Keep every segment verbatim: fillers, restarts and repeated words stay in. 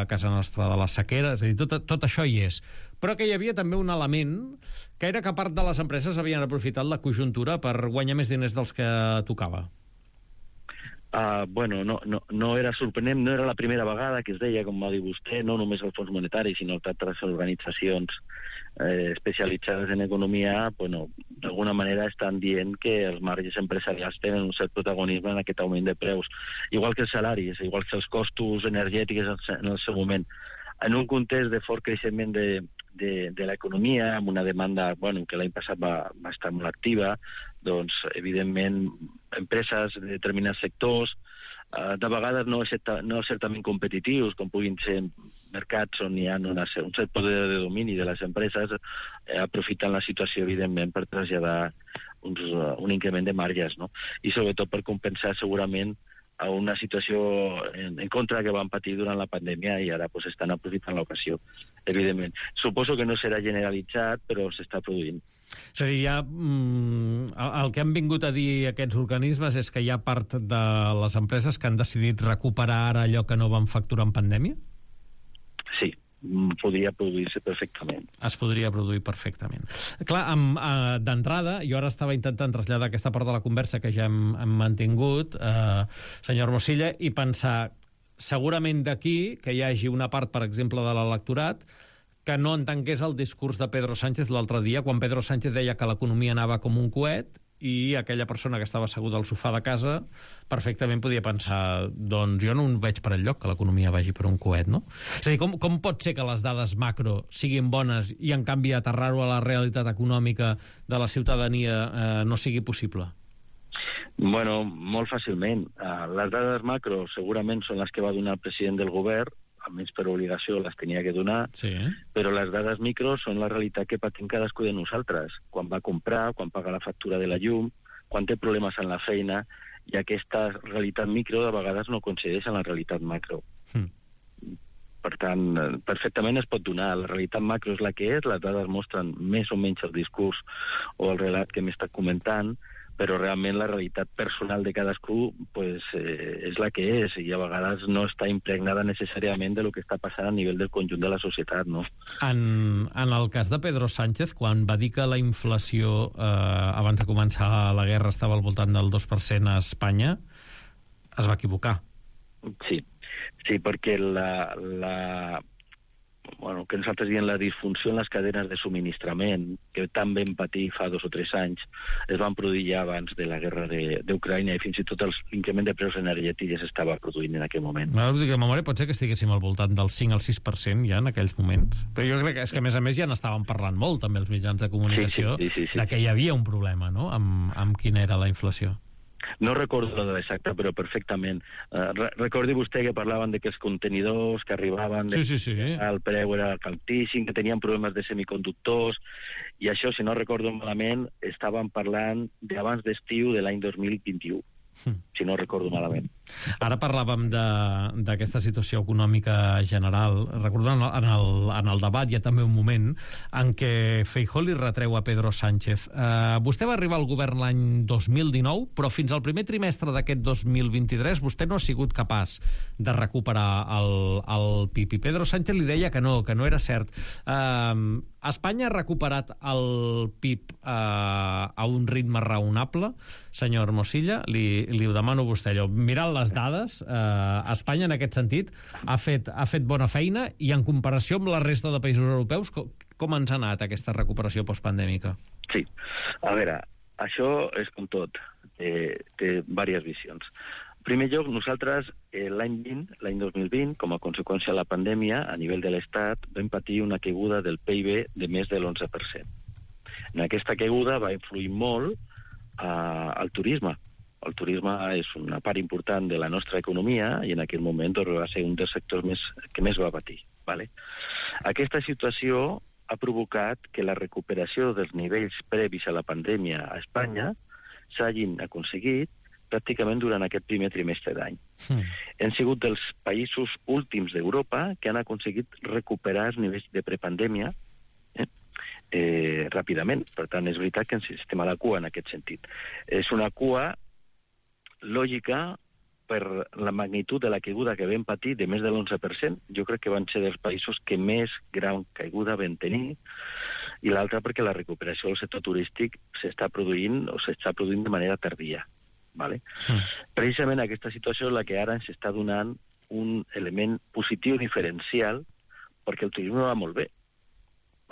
a casa nostra de la sequera, és a dir, tot, tot això hi és. Però que hi havia també un element que era que part de les empreses havien aprofitat la conjuntura per guanyar més diners dels que tocava. Uh, bueno, no, no, no era sorprenent, no era la primera vegada que es deia, com va dir vostè, no només el Fons Monetari, sinó altres organitzacions eh, especialitzades en economia, bueno, d'alguna manera estan dient que els marges empresarials tenen un cert protagonisme en aquest augment de preus, igual que els salaris, igual que els costos energètics en el seu moment. En un context de fort creixement de, de, de l'economia, amb una demanda, bueno, que l'any passat va, va estar molt activa, doncs, evidentment, empreses de determinats sectors, eh, de vegades no, certa, no certament competitius, com puguin ser mercats on hi ha una, un cert poder de domini de les empreses, eh, aprofiten la situació, evidentment, per traslladar uns, uh, un increment de marges, no? I sobretot per compensar segurament a una situació en, en contra que van patir durant la pandèmia i ara pues, estan aprofitant l'ocasió, evidentment. Suposo que no serà generalitzat, però s'està produint. És a dir, ja, mm, el que han vingut a dir aquests organismes és que hi ha part de les empreses que han decidit recuperar ara allò que no van facturar en pandèmia? Sí, podria produir-se perfectament. Es podria produir perfectament. Clar, amb, eh, d'entrada, jo ara estava intentant traslladar aquesta part de la conversa que ja hem, hem mantingut, eh, senyor Mosilla, i pensar, segurament d'aquí, que hi hagi una part, per exemple, de l'electorat, que no entengués el discurs de Pedro Sánchez l'altre dia, quan Pedro Sánchez deia que l'economia anava com un coet, i aquella persona que estava asseguda al sofà de casa perfectament podia pensar, doncs jo no veig per enlloc que l'economia vagi per un coet, no? És a dir, com, com pot ser que les dades macro siguin bones i en canvi aterrar-ho a la realitat econòmica de la ciutadania eh, no sigui possible? Bueno, molt fàcilment. Uh, les dades macro segurament són les que va donar el president del govern, almenys per obligació les tenia que donar, sí. Però les dades micro són la realitat que patim cadascú de nosaltres, quan va comprar, quan paga la factura de la llum, quan té problemes en la feina, i aquesta realitat micro de vegades no coincideix amb la realitat macro. Mm. Per tant, perfectament es pot donar. La realitat macro és la que és, les dades mostren més o menys el discurs o el relat que m'he estat comentant, però realment la realitat personal de cadascú pues, eh, és la que és i a vegades no està impregnada necessàriament de lo que està passant a nivell del conjunt de la societat, no? En, en el cas de Pedro Sánchez, quan va dir que la inflació eh, abans de començar la guerra estava al voltant del dos per cent a Espanya, es va equivocar. Sí, sí, perquè la... la bueno, que nosaltres diem la disfunció en les cadenes de subministrament, que tan ben patir fa dos o tres anys, es van produir ja abans de la guerra d'Ucraïna i fins i tot l'increment de preus energètics ja s'estava produint en aquell moment. No, dic, a memòria pot ser que estiguéssim al voltant del cinc al sis per cent ja en aquells moments, però jo crec que és que a més a més ja n'estaven parlant molt també els mitjans de comunicació sí, sí, sí, sí, sí, de que hi havia un problema, no?, amb, amb quina era la inflació. No recordo la dada exacta, però perfectament. Uh, re recordi vostè que parlaven de que els contenidors que arribaven... Sí, sí, sí. El preu era altíssim, que tenien problemes de semiconductors, i això, si no recordo malament, estaven parlant d'abans d'estiu de l'any dos mil vint-i-u. Mm. Si no recordo malament. Ara parlàvem d'aquesta situació econòmica general. Recordo en el, en el debat hi ha també un moment en què Feijóo li retreu a Pedro Sánchez. Uh, vostè va arribar al govern l'any dos mil dinou, però fins al primer trimestre d'aquest dos mil vint-i-tres vostè no ha sigut capaç de recuperar el, el P I B. I Pedro Sánchez li deia que no, que no era cert. Uh, Espanya ha recuperat el P I B uh, a un ritme raonable, senyor Mosilla? Li, li ho demano a vostè. Allò. Mirant les dades, eh, Espanya en aquest sentit ha fet, ha fet bona feina i en comparació amb la resta de països europeus, com, com ens ha anat aquesta recuperació postpandèmica? Sí, a veure, això és com tot, eh, té diverses visions. En primer lloc, nosaltres eh, l'any vint, l'any dos mil vint, com a conseqüència de la pandèmia, a nivell de l'Estat, vam patir una caiguda del P I B de més de l'onze per cent. En aquesta caiguda va influir molt eh, al turisme. El turisme és una part important de la nostra economia i en aquell moment va ser un dels sectors més, que més va patir. Vale? Aquesta situació ha provocat que la recuperació dels nivells previs a la pandèmia a Espanya s'hagin aconseguit pràcticament durant aquest primer trimestre d'any. Mm. Hem sigut dels països últims d'Europa que han aconseguit recuperar els nivells de prepandèmia eh? Eh, ràpidament. Per tant, és veritat que ens estem a la cua en aquest sentit. És una cua lògica per la magnitud de la caiguda que vam patir, de més de l'onze per cent, jo crec que van ser dels països que més gran caiguda vam tenir, i l'altra perquè la recuperació del sector turístic s'està produint o s'està produint de manera tardia. Vale? Mm. Precisament aquesta situació és la que ara ens està donant un element positiu diferencial, perquè el turisme va molt bé.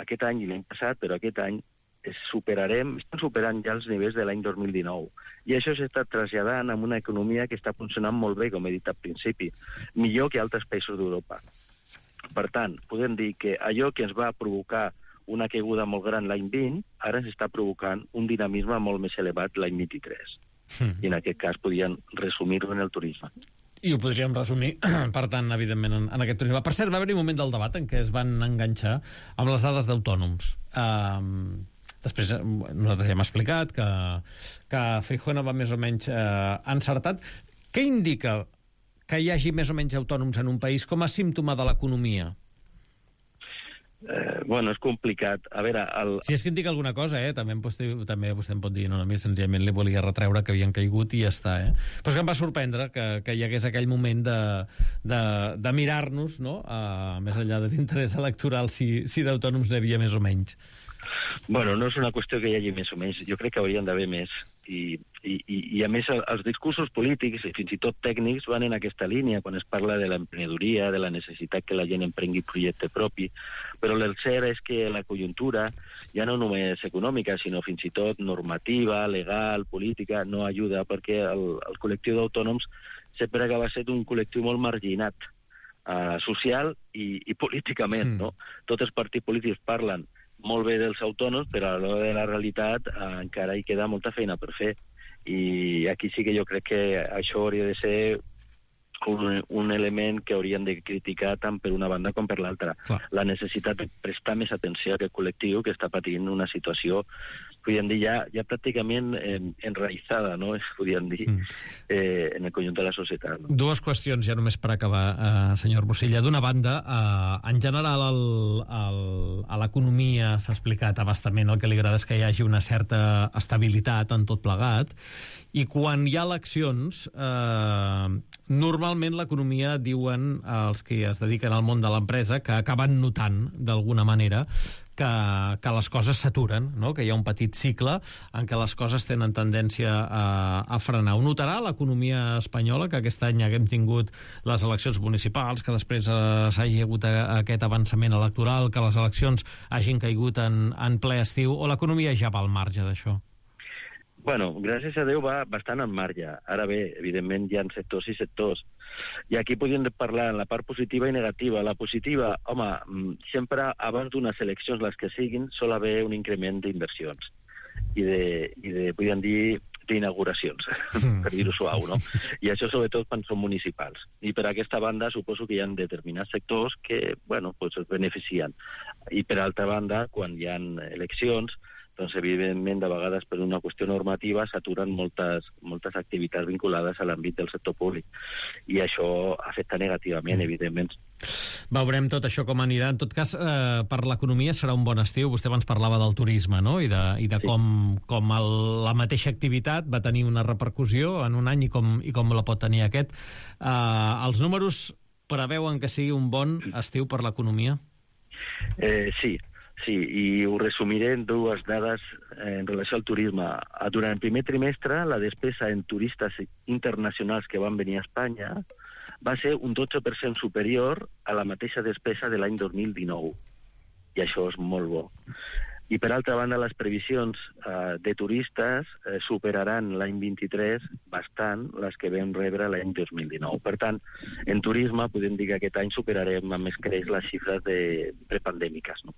Aquest any i l'any passat, però aquest any es superarem, estem superant ja els nivells de l'any dos mil dinou. I això s'està traslladant en una economia que està funcionant molt bé, com he dit al principi, millor que altres països d'Europa. Per tant, podem dir que allò que ens va provocar una caiguda molt gran l'any vint, ara ens està provocant un dinamisme molt més elevat l'any vint-i-tres. Mm. I en aquest cas podien resumir-ho en el turisme. I ho podríem resumir, per tant, evidentment, en, en aquest turisme. Per cert, va haver-hi un moment del debat en què es van enganxar amb les dades d'autònoms. Um, després, nosaltres ja hem explicat que, que Feijóo va més o menys uh, encertat. Què indica que hi hagi més o menys autònoms en un país com a símptoma de l'economia? Eh, bueno, és complicat. A veure... El... Si és que indica alguna cosa, eh? També, vostè, també vostè em pot dir, no, a mi senzillament li volia retreure que havien caigut i ja està, eh? Però és que em va sorprendre que, que hi hagués aquell moment de, de, de mirar-nos, no?, a, més enllà de l'interès electoral, si, si d'autònoms n'hi havia més o menys. Bueno, no és una qüestió que hi hagi més o menys. Jo crec que haurien d'haver més. I, i, i a més, els discursos polítics i fins i tot tècnics van en aquesta línia, quan es parla de l'emprenedoria, de la necessitat que la gent emprengui projecte propi. Però el cert és que la conjuntura, ja no només econòmica, sinó fins i tot normativa, legal, política, no ajuda, perquè el, el col·lectiu d'autònoms sempre acaba sent un col·lectiu molt marginat, eh, social i, i políticament, mm. no? Tots els partits polítics parlen molt bé dels autònoms, però a l'hora de la realitat eh, encara hi queda molta feina per fer. I aquí sí que jo crec que això hauria de ser un, un element que haurien de criticar tant per una banda com per l'altra. La necessitat de prestar més atenció a aquest col·lectiu que està patint una situació, podríem dir, ja, ja pràcticament eh, enraïtzada, no?, podríem dir, eh, en el conjunt de la societat. No? Dues qüestions, ja només per acabar, eh, senyor Bosilla. D'una banda, eh, en general, el, el, a l'economia s'ha explicat abastament, el que li agrada és que hi hagi una certa estabilitat en tot plegat, i quan hi ha eleccions, eh, normalment l'economia, diuen els que es dediquen al món de l'empresa, que acaben notant, d'alguna manera, que, que les coses s'aturen, no?, que hi ha un petit cicle en què les coses tenen tendència a, a frenar. Ho notarà l'economia espanyola, que aquest any haguem tingut les eleccions municipals, que després eh, s'hagi hagut a, a aquest avançament electoral, que les eleccions hagin caigut en, en ple estiu, o l'economia ja va al marge d'això? Bueno, gràcies a Déu va bastant en marge. Ara bé, evidentment hi ha sectors i sectors. I aquí podríem parlar en la part positiva i negativa. La positiva, home, sempre abans d'unes eleccions, les que siguin, sol haver un increment d'inversions i de, i de, podríem dir, d'inauguracions, per dir-ho suau, no? I això sobretot quan són municipals. I per aquesta banda suposo que hi ha determinats sectors que, bueno, pues es beneficien. I per altra banda, quan hi ha eleccions, doncs, evidentment, de vegades per una qüestió normativa s'aturen moltes, moltes activitats vinculades a l'àmbit del sector públic. I això afecta negativament, evidentment. Veurem tot això com anirà. En tot cas, eh, per l'economia serà un bon estiu. Vostè abans parlava del turisme, no?, i de, i de sí. com, com el, la mateixa activitat va tenir una repercussió en un any i com, i com la pot tenir aquest. Eh, els números preveuen que sigui un bon estiu per l'economia? Eh, sí. Sí, i ho resumiré en dues dades en relació al turisme. Durant el primer trimestre, la despesa en turistes internacionals que van venir a Espanya va ser un dotze per cent superior a la mateixa despesa de l'any dos mil dinou. I això és molt bo. I, per altra banda, les previsions eh, de turistes eh, superaran l'any vint-i-tres bastant les que vam rebre l'any dos mil dinou. Per tant, en turisme podem dir que aquest any superarem amb més creix les xifres de prepandèmiques, no?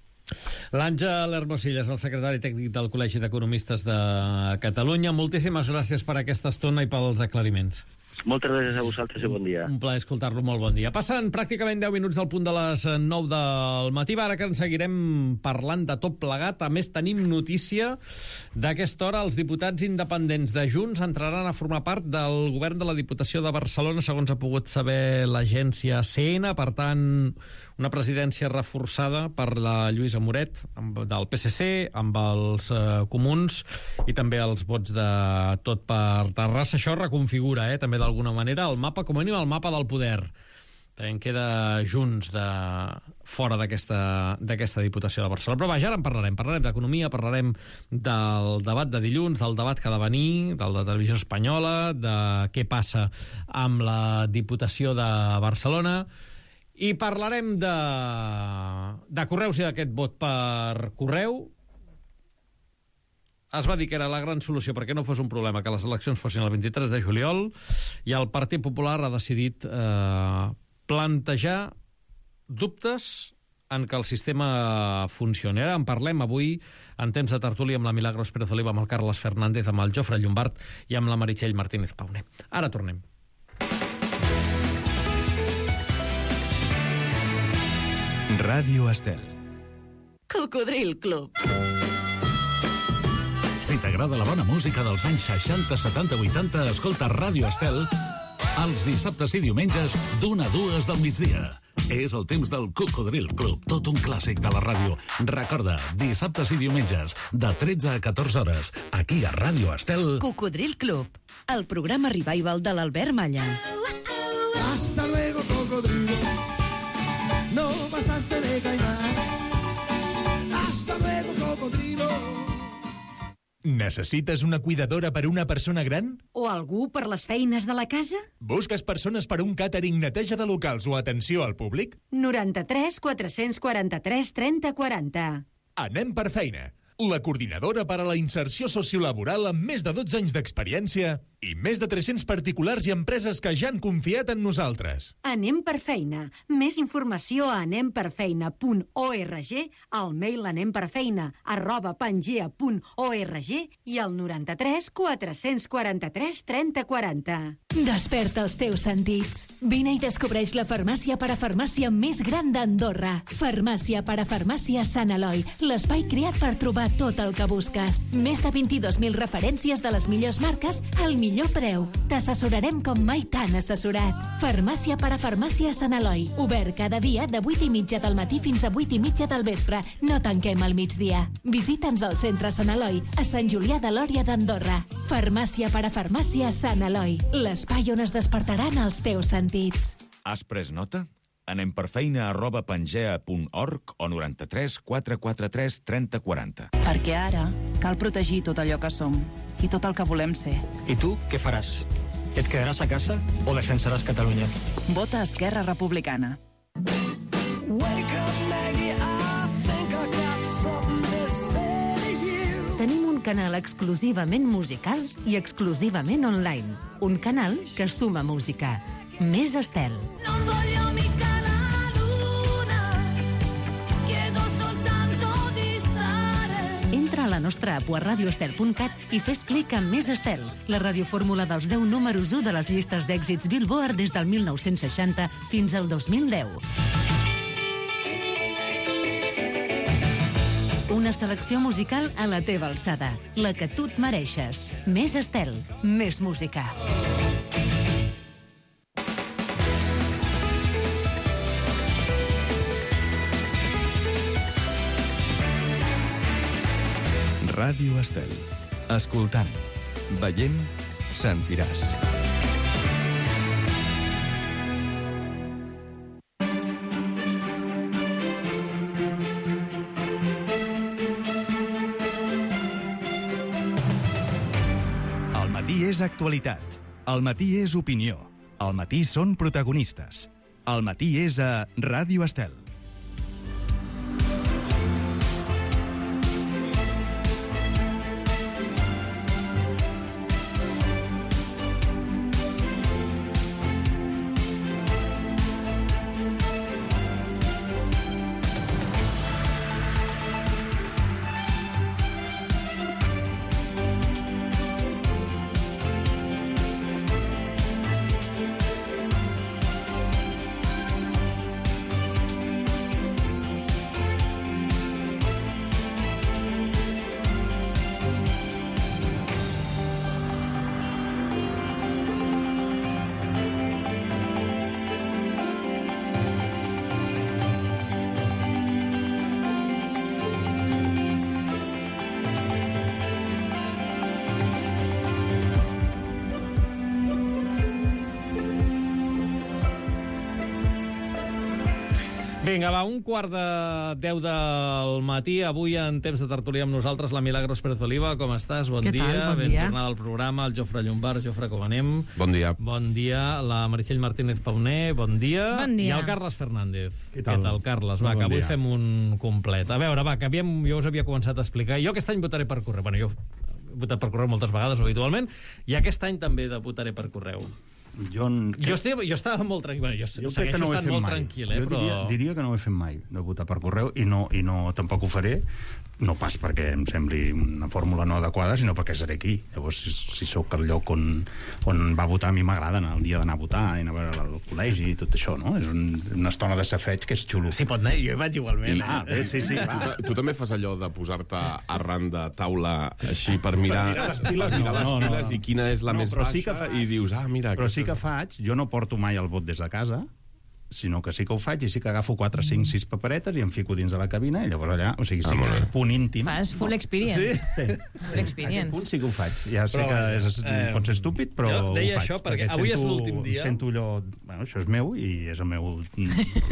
L'Àngel Hermosilla és el secretari tècnic del Col·legi d'Economistes de Catalunya. Moltíssimes gràcies per aquesta estona i pels aclariments. Moltes gràcies a vosaltres i bon dia. Un plaer escoltar-lo, molt bon dia. Passen pràcticament deu minuts del punt de les nou del matí. Ara que en seguirem parlant de tot plegat. A més, tenim notícia d'aquesta hora. Els diputats independents de Junts entraran a formar part del govern de la Diputació de Barcelona, segons ha pogut saber l'agència C N. Per tant, una presidència reforçada per la Lluïsa Moret, del P S C, amb els eh, comuns i també els vots de Tot per Terrassa. Això reconfigura, eh, també d'alguna manera el mapa, com a mínim el mapa del poder. En queda Junts de fora d'aquesta d'aquesta Diputació de Barcelona. Però vaja, ara en parlarem. Parlarem d'economia, parlarem del debat de dilluns, del debat que ha de venir, del de Televisió Espanyola, de què passa amb la Diputació de Barcelona, i parlarem de, de correus i d'aquest vot per correu. Es va dir que era la gran solució perquè no fos un problema que les eleccions fossin el vint-i-tres de juliol, i el Partit Popular ha decidit eh, plantejar dubtes en que el sistema funcioni. Ara en parlem avui en temps de tertúlia amb la Milagros Pérez Oliva, amb el Carles Fernández, amb el Jofre Llombart i amb la Meritxell Martínez Pauner. Ara tornem. Ràdio Estel. Cocodril Club. Si t'agrada la bona música dels anys seixanta, setanta, vuitanta, escolta Ràdio Estel els dissabtes i diumenges d'una a dues del migdia. És el temps del Cocodril Club, tot un clàssic de la ràdio. Recorda, dissabtes i diumenges, de tretze a catorze hores, aquí a Ràdio Estel. Cocodril Club, el programa revival de l'Albert Malla. Hasta luego, cocodrilo. No pasaste de caimán. Hasta luego, cocodrilo. Necessites una cuidadora per una persona gran? O algú per les feines de la casa? Busques persones per un càtering, neteja de locals o atenció al públic? noranta-tres quatre-cents quaranta-tres trenta quaranta. Anem per feina. La coordinadora per a la inserció sociolaboral amb més de dotze anys d'experiència i més de tres-cents particulars i empreses que ja han confiat en nosaltres. Anem per feina. Més informació a anem per feina punt org, al mail anemperfeina arroba pangea punt org i al noranta-tres quatre-cents quaranta-tres trenta quaranta. Desperta els teus sentits. Vine i descobreix la farmàcia parafarmàcia més gran d'Andorra. Farmàcia parafarmàcia Sant Eloi, l'espai creat per trobar tot el que busques. Més de vint-i-dos mil referències de les millors marques al millor preu. T'assessorarem com mai t'han assessorat. Farmàcia parafarmàcia Sant Eloi. Obert cada dia de vuit i mitja del matí fins a vuit i mitja del vespre. No tanquem al migdia. Visita'ns al centre Sant Eloi, a Sant Julià de Lòria d'Andorra. Farmàcia parafarmàcia Sant Eloi. L'espai on es despertaran els teus sentits. Has pres nota? Anem per feina arroba pangea punt org o noranta-tres quatre quaranta-tres trenta quaranta. Perquè ara cal protegir tot allò que som i tot el que volem ser. I tu què faràs? Et quedaràs a casa o defensaràs Catalunya? Vota Esquerra Republicana. Tenim un canal exclusivament musical i exclusivament online. Un canal que suma música. Més Estel. Entra a la nostra app a radioestel punt cat i fes clic en Més Estel, la radiofórmula dels deu números u de les llistes d'èxits Billboard des del mil nou-cents seixanta fins al dos mil deu. Una selecció musical a la teva alçada, la que tu et mereixes. Més Estel, més música. Ràdio Estel. Escoltant, veient, sentiràs. El matí és actualitat. El matí és opinió. El matí són protagonistes. El matí és a Ràdio Estel. Vinga, va, un quart de deu del matí. Avui, en temps de tertúlia amb nosaltres, la Milagros Pérez Oliva. Com estàs? Bon Què dia. tal? Bon ben dia. tornada al programa. El Jofre Llombard. Jofre, com anem? Bon dia. Bon dia. La Meritxell Martínez Pauner. Bon dia. Bon dia. I el Carles Fernández. Què tal? Què tal, Carles? Va, Bon que avui dia. fem un complet. A veure, va, que havíem, jo us havia començat a explicar. Jo aquest any votaré per correu. Bueno, jo he votat per correu moltes vegades, habitualment, i aquest any també de votaré per correu. Jo, Jo, estic, jo estava molt tranquil. Bueno, jo, jo crec segueixo que no ho he estant fet molt mai. tranquil, eh, jo però... diria, diria que no ho he fet mai, de votar per correu, i no, i no tampoc ho faré, no pas perquè em sembli una fórmula no adequada, sinó perquè seré aquí. Llavors, si, si sóc al lloc on, on va votar, a mi m'agrada anar el dia d'anar a votar, i anar a veure el col·legi i tot això, no? És un, una estona de safeig que és xulo. Sí, pot anar, jo hi vaig igualment. I, ah, bé, sí, sí, Tu, va. tu també fas allò de posar-te arran de taula així per mirar, Per mirar les piles, mirar no, les no, no, piles no. i quina és la No, més però baixa sí que fa- i dius, ah, mira... Però sí aquesta que és- faig, jo no porto mai el vot des de casa, sinó que sí que ho faig i sí que agafo quatre, cinc, sis paperetes i em fico dins de la cabina i llavors allà, o sigui, sí Ah, molt que bé. punt íntim. Fas full experience. Sí, sí. Full experience. Aquest punt sí que ho faig. Ja sé Però, que és, eh, pot ser estúpid, però jo deia ho faig. això perquè avui és sento- l'últim dia. Sento allò... Bueno, això és meu i és el meu, els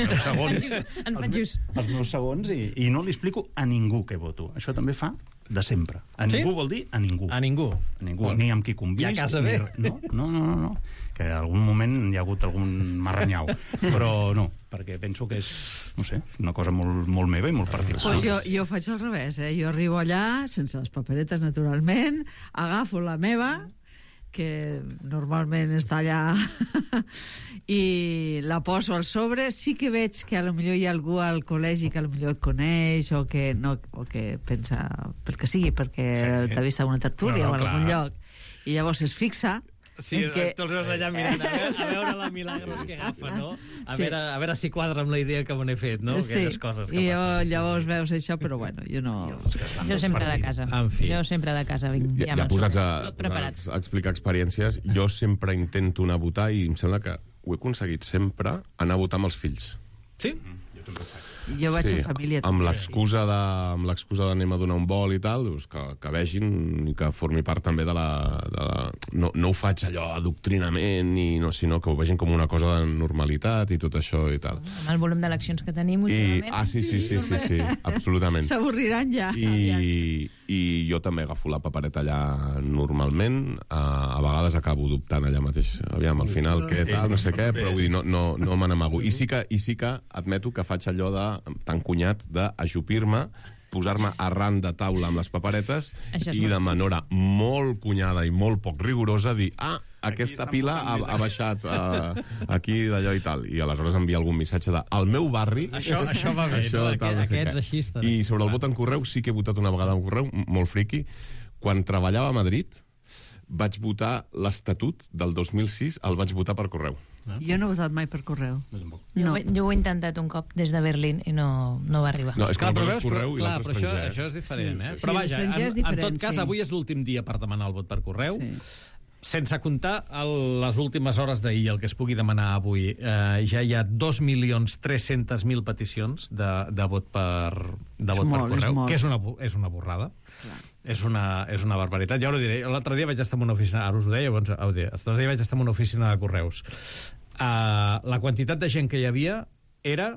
meus segons. En faig just. Els meus segons i, i no li explico a ningú què voto. Això també fa de sempre. A Sí? ningú vol dir a ningú. A ningú. A ningú, Bueno, ni amb qui convisc. i a casa ni bé. res. No, no, no, no, no. Que en algun moment hi ha hagut algun marranyau. Però no, perquè penso que és, no sé, una cosa molt, molt meva i molt particular. Pues jo, jo faig al revés, eh? Jo arribo allà, sense les paperetes, naturalment, agafo la meva, que normalment està allà, i la poso al sobre. Sí que veig que a lo millor hi ha algú al col·legi que a lo millor et coneix o que, no, o que pensa pel que sigui, perquè Sí. t'ha vist a una tertúlia No, no, o a algun clar. lloc, i llavors es fixa Sí, en que... tu els veus allà mirant, a veure, a veure la Milagros que agafa, no? A, Sí. veure, a veure si quadra amb la idea que me n'he fet, no? Sí, Aquelles coses que i passen. llavors, llavors veus això, però bueno, jo no... Jo sempre de casa. En fi. Jo sempre de casa vinc. Ja, ja me'n posats surto. a, Tot preparat. posats a explicar experiències, jo sempre intento anar a votar i em sembla que ho he aconseguit sempre, anar a votar amb els fills. Sí? Jo vaig en família amb també. l'excusa de, amb l'excusa d'anem a donar un vol i tal, doncs que, que vegin i que formi part també de la... De la no, no ho faig allò adoctrinament, i no, sinó que ho vegin com una cosa de normalitat i tot això i tal. Amb el volum d'eleccions que tenim I, últimament. ah, sí, sí, sí, sí, sí, absolutament. S'avorriran ja. I, I jo també agafo la papereta allà normalment, a, a vegades acabo dubtant allà mateix, aviam, al final, què tal, no sé què, però vull dir, no, no, no me n'amago. I sí que, i sí que admeto que faig allò de tan cunyat d'ajupir-me, posar-me arran de taula amb les paperetes Això és i molt de manera molt cunyada i molt poc rigorosa dir, ah, aquesta pila ha, ha baixat uh, aquí d'allò i tal. I aleshores enviar algun missatge de al meu barri... Això, això va bé, això, no? tal, no Aquest, sé aquests què. així estan. I sobre el vot en correu sí que he votat una vegada en correu, m- molt friqui. Quan treballava a Madrid vaig votar l'Estatut del dos mil sis, el vaig votar per correu. Jo no he votat mai per correu. Jo, No. ho- jo ho he intentat un cop des de Berlín i no, no va arribar. No, és que Clar, una però cosa veus, és correu però, i clar, l'altre però això, estranger. això és diferent, Sí, eh? sí, Però sí. vaja, L'estranger en, és en diferent, tot cas, sí. avui és l'últim dia per demanar el vot per correu. Sí. Sense comptar el, les últimes hores d'ahir, el que es pugui demanar avui, eh, ja hi ha dos milions tres-cents mil peticions de, de vot per, de És vot molt, per correu, és molt. que és una, bu- és una borrada. És una, és una barbaritat. Ja ho diré. L'altre dia vaig estar en una oficina... Ara us ho deia, doncs, ho diré. L'altre dia vaig estar en una oficina de correus. Uh, la quantitat de gent que hi havia era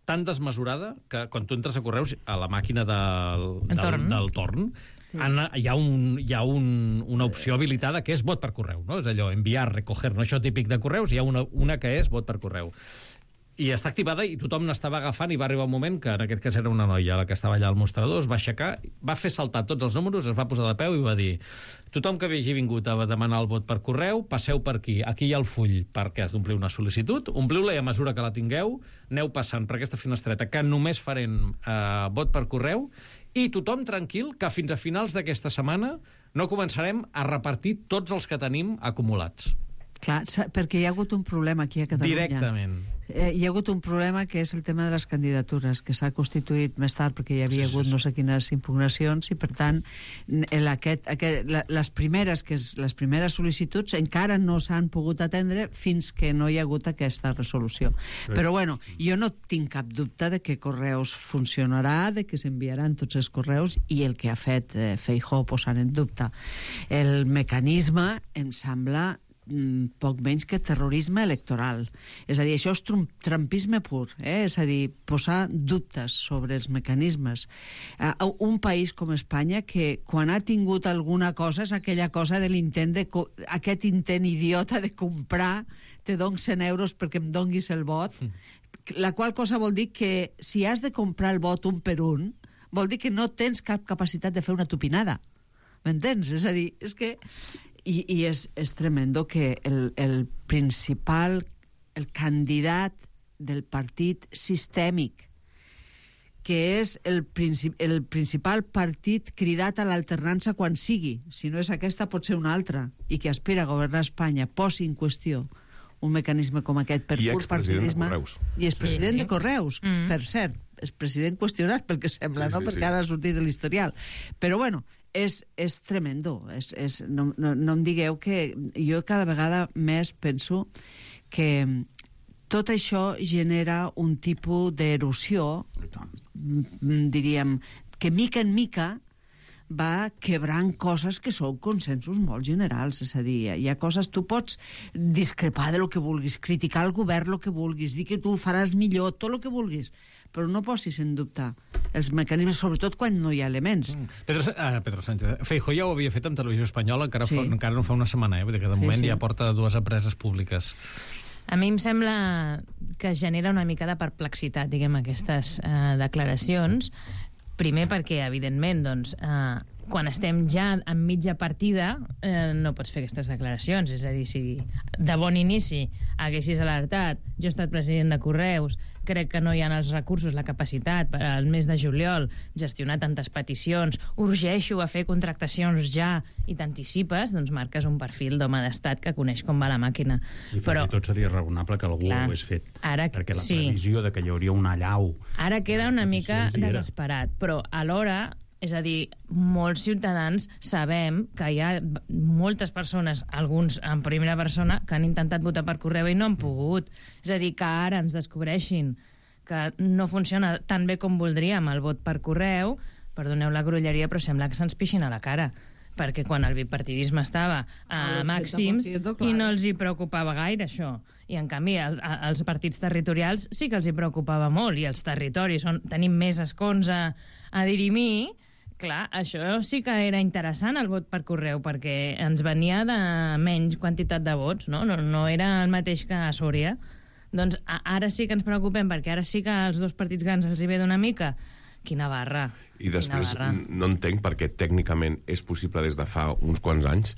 tan desmesurada que quan tu entres a correus, a la màquina del, El del, torn. del torn, Anna, hi ha, un, hi ha un, una opció habilitada que és vot per correu, no? És allò, enviar, recoger, no això típic de correus, hi ha una, una que és vot per correu. I està activada i tothom n'estava agafant i va arribar un moment que en aquest cas era una noia la que estava allà al mostrador, es va aixecar, va fer saltar tots els números, es va posar de peu i va dir tothom que hagi vingut a demanar el vot per correu, passeu per aquí, aquí hi ha el full perquè has d'omplir una sol·licitud, ompliu-la i a mesura que la tingueu, aneu passant per aquesta finestreta que només farem eh, vot per correu i tothom tranquil que fins a finals d'aquesta setmana no començarem a repartir tots els que tenim acumulats. Clar, sa- perquè hi ha hagut un problema aquí a Catalunya. Directament. Eh, hi ha hagut un problema que és el tema de les candidatures, que s'ha constituït més tard perquè hi havia sí, hagut sí, sí. no sé quines impugnacions i, per tant, el, aquest, aquest, la, les primeres que és, les primeres sol·licituds encara no s'han pogut atendre fins que no hi ha hagut aquesta resolució. Sí. Però, bueno, jo no tinc cap dubte de que Correus funcionarà, de que s'enviaran tots els correus i el que ha fet eh, Feijóo posant en dubte el mecanisme em sembla poc menys que terrorisme electoral. És a dir, això és trumpisme pur, eh? És a dir, posar dubtes sobre els mecanismes. Uh, un país com Espanya que quan ha tingut alguna cosa és aquella cosa de l'intent de aquest intent idiota de comprar, te dono cent euros perquè em donguis el vot, la qual cosa vol dir que si has de comprar el vot un per un, vol dir que no tens cap capacitat de fer una tupinada. M'entens? És a dir, és que... I, i és, és tremendo que el, el principal, el candidat del partit sistèmic, que és el, princip el principal partit cridat a l'alternança quan sigui, si no és aquesta pot ser una altra, i que aspira a governar Espanya, posi en qüestió un mecanisme com aquest per I pur partidisme. I expresident sí. de Correus, mm. per cert, és president qüestionat pel que sembla, sí, no? Sí, perquè sí. Ara ha sortit de l'historial. Però bueno, és, és tremendo. És, és, no, no, no em digueu que jo cada vegada més penso que tot això genera un tipus d'erosió, diríem, que mica en mica va quebrant coses que són consensos molt generals. És a dir, hi ha coses... Tu pots discrepar de lo que vulguis, criticar el govern el que vulguis, dir que tu faràs millor, tot el que vulguis, però no posis en dubte els mecanismes, sobretot quan no hi ha elements. Mm. Pedro, ah, Pedro Sánchez. Feijóo ja ho havia fet amb Televisió Espanyola, encara, sí. fa, encara no fa una setmana, eh? Vull dir que de moment sí, sí. ja porta dues empreses públiques. A mi em sembla que genera una mica de perplexitat, diguem, aquestes eh, declaracions. Primer perquè, evidentment, doncs, eh, quan estem ja en mitja partida eh, no pots fer aquestes declaracions. És a dir, si de bon inici haguessis alertat, jo he estat president de Correus, crec que no hi ha els recursos, la capacitat per al mes de juliol gestionar tantes peticions, urgeixo a fer contractacions ja i t'anticipes, doncs marques un perfil d'home d'estat que coneix com va la màquina. I però tot seria raonable que algú clar, ho hagués fet. Ara, perquè la sí. previsió de que hi hauria una allau... Ara queda una mica desesperat, però alhora... És a dir, molts ciutadans sabem que hi ha moltes persones, alguns en primera persona, que han intentat votar per correu i no han pogut. És a dir, que ara ens descobreixin que no funciona tan bé com voldríem el vot per correu, perdoneu la grolleria, però sembla que se'ns pixin a la cara. Perquè quan el bipartidisme estava a màxims i no els hi preocupava gaire això. I en canvi el, els partits territorials sí que els hi preocupava molt, i els territoris on tenim més escons a, a dirimir. Clar, això sí que era interessant, el vot per correu, perquè ens venia de menys quantitat de vots, no? No, no era el mateix que a Sòria. Doncs a, ara sí que ens preocupem, perquè ara sí que als dos partits grans els hi ve d'una mica. Quina barra. I després barra. no entenc perquè tècnicament és possible des de fa uns quants anys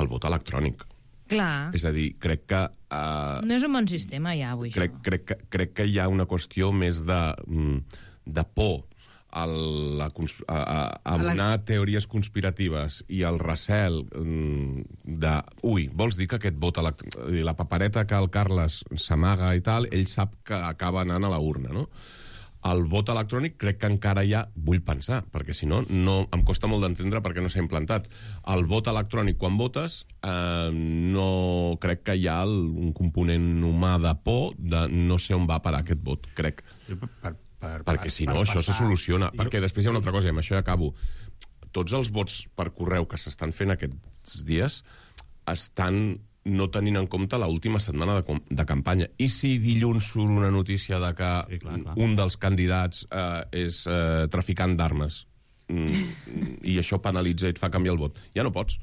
el vot electrònic. Clar. És a dir, crec que... Uh, no és un bon sistema ja, avui, crec, això. Crec, crec, crec que hi ha una qüestió més de, de por a, la, a, a, a donar teories conspiratives i el recel de... Ui, vols dir que aquest vot electrònic... La papereta que el Carles s'amaga i tal, ell sap que acaba anant a la urna, no? El vot electrònic crec que encara ja vull pensar, perquè si no, no em costa molt d'entendre perquè no s'ha implantat. El vot electrònic, quan votes, eh, no crec que hi ha el, un component humà de por de no sé on va parar aquest vot, crec. Per, per, per, perquè si no, per això passar... se soluciona. Jo... Perquè després hi ha una altra cosa, i amb això ja acabo. Tots els vots per correu que s'estan fent aquests dies estan no tenint en compte l'última setmana de, de campanya. I si dilluns surt una notícia de que sí, clar, clar. un dels candidats eh, és eh, traficant d'armes mm, i això penalitza i et fa canviar el vot? Ja no pots.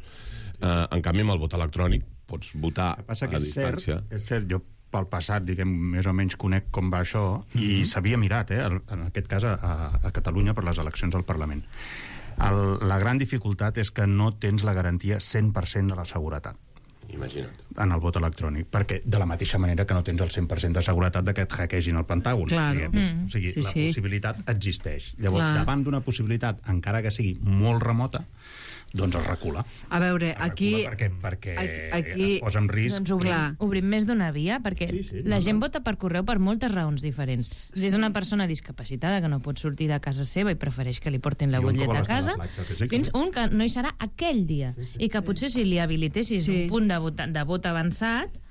Eh, en canvi, amb el vot electrònic pots votar a distància. Cert, és cert, jo pel passat, diguem, més o menys conec com va això, mm-hmm. i s'havia mirat, eh, en aquest cas, a, a Catalunya per les eleccions al Parlament. El, la gran dificultat és que no tens la garantia cent per cent de la seguretat. Imagina't. En el vot electrònic, perquè de la mateixa manera que no tens el cent per cent de seguretat de que et hackegin el Pentàgon. Claro. Mm. O sigui, sí, la sí. possibilitat existeix. Llavors, clar. davant d'una possibilitat, encara que sigui molt remota, doncs es recula. A veure, es aquí... Perquè, perquè aquí... es posa en risc... Doncs obrim, obrim més d'una via, perquè sí, sí, la no, gent no. vota per correu per moltes raons diferents. Sí. Des d'una persona discapacitada que no pot sortir de casa seva i prefereix que li portin la butlleta a casa, platja, sí, fins sí. un que no hi serà aquell dia, sí, sí, i que potser si li habilitessis sí. un punt de vot, de vot avançat,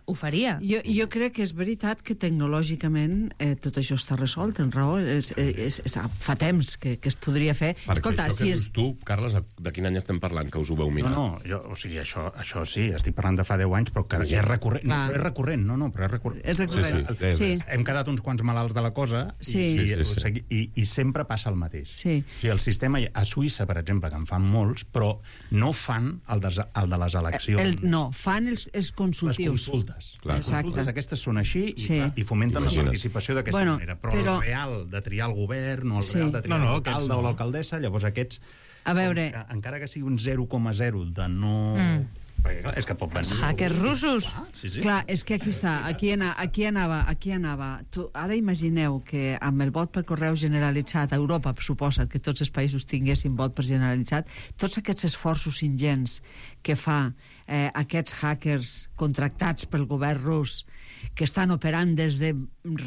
ho faria. Jo, jo crec que és veritat que tecnològicament eh, tot això està resolt, en raó. És, és, és, fa temps que, que es podria fer. Perquè Escolta, això que si dius és... tu, Carles, de quin any estem parlant, que us ho veu mirar? No, no, jo, o sigui, això, això sí, estic parlant de fa deu anys, però que ja és recurrent. No, però és recurrent, no, no, però és recurrent. És recurrent. Sí, sí. Sí. Hem quedat uns quants malalts de la cosa Sí. i, Sí, sí, sí. i, i sempre passa el mateix. Sí. O sigui, el sistema, a Suïssa, per exemple, que en fan molts, però no fan el de, el de les eleccions. El, no, fan els, els consultius. Les consultes. Clar. Les consultes aquestes són així i, Sí. fa, i fomenten Imagina't. la participació d'aquesta Bueno, manera. Però, però- el real de triar el govern o el Sí. real de triar No, no, l'alcalde aquests no. o l'alcaldessa, llavors aquests, A veure... que, encara que sigui un zero coma zero de no... Mm. Perquè, clar, és que pot venir... Els hackers russos. Ah, sí, sí. Clar, és que aquí està, aquí, ana, aquí anava, aquí anava. Tu, ara imagineu que amb el vot per correu generalitzat a Europa, suposa que tots els països tinguessin vot per generalitzat, tots aquests esforços ingents que fa eh, aquests hackers contractats pel govern rus, que estan operant des de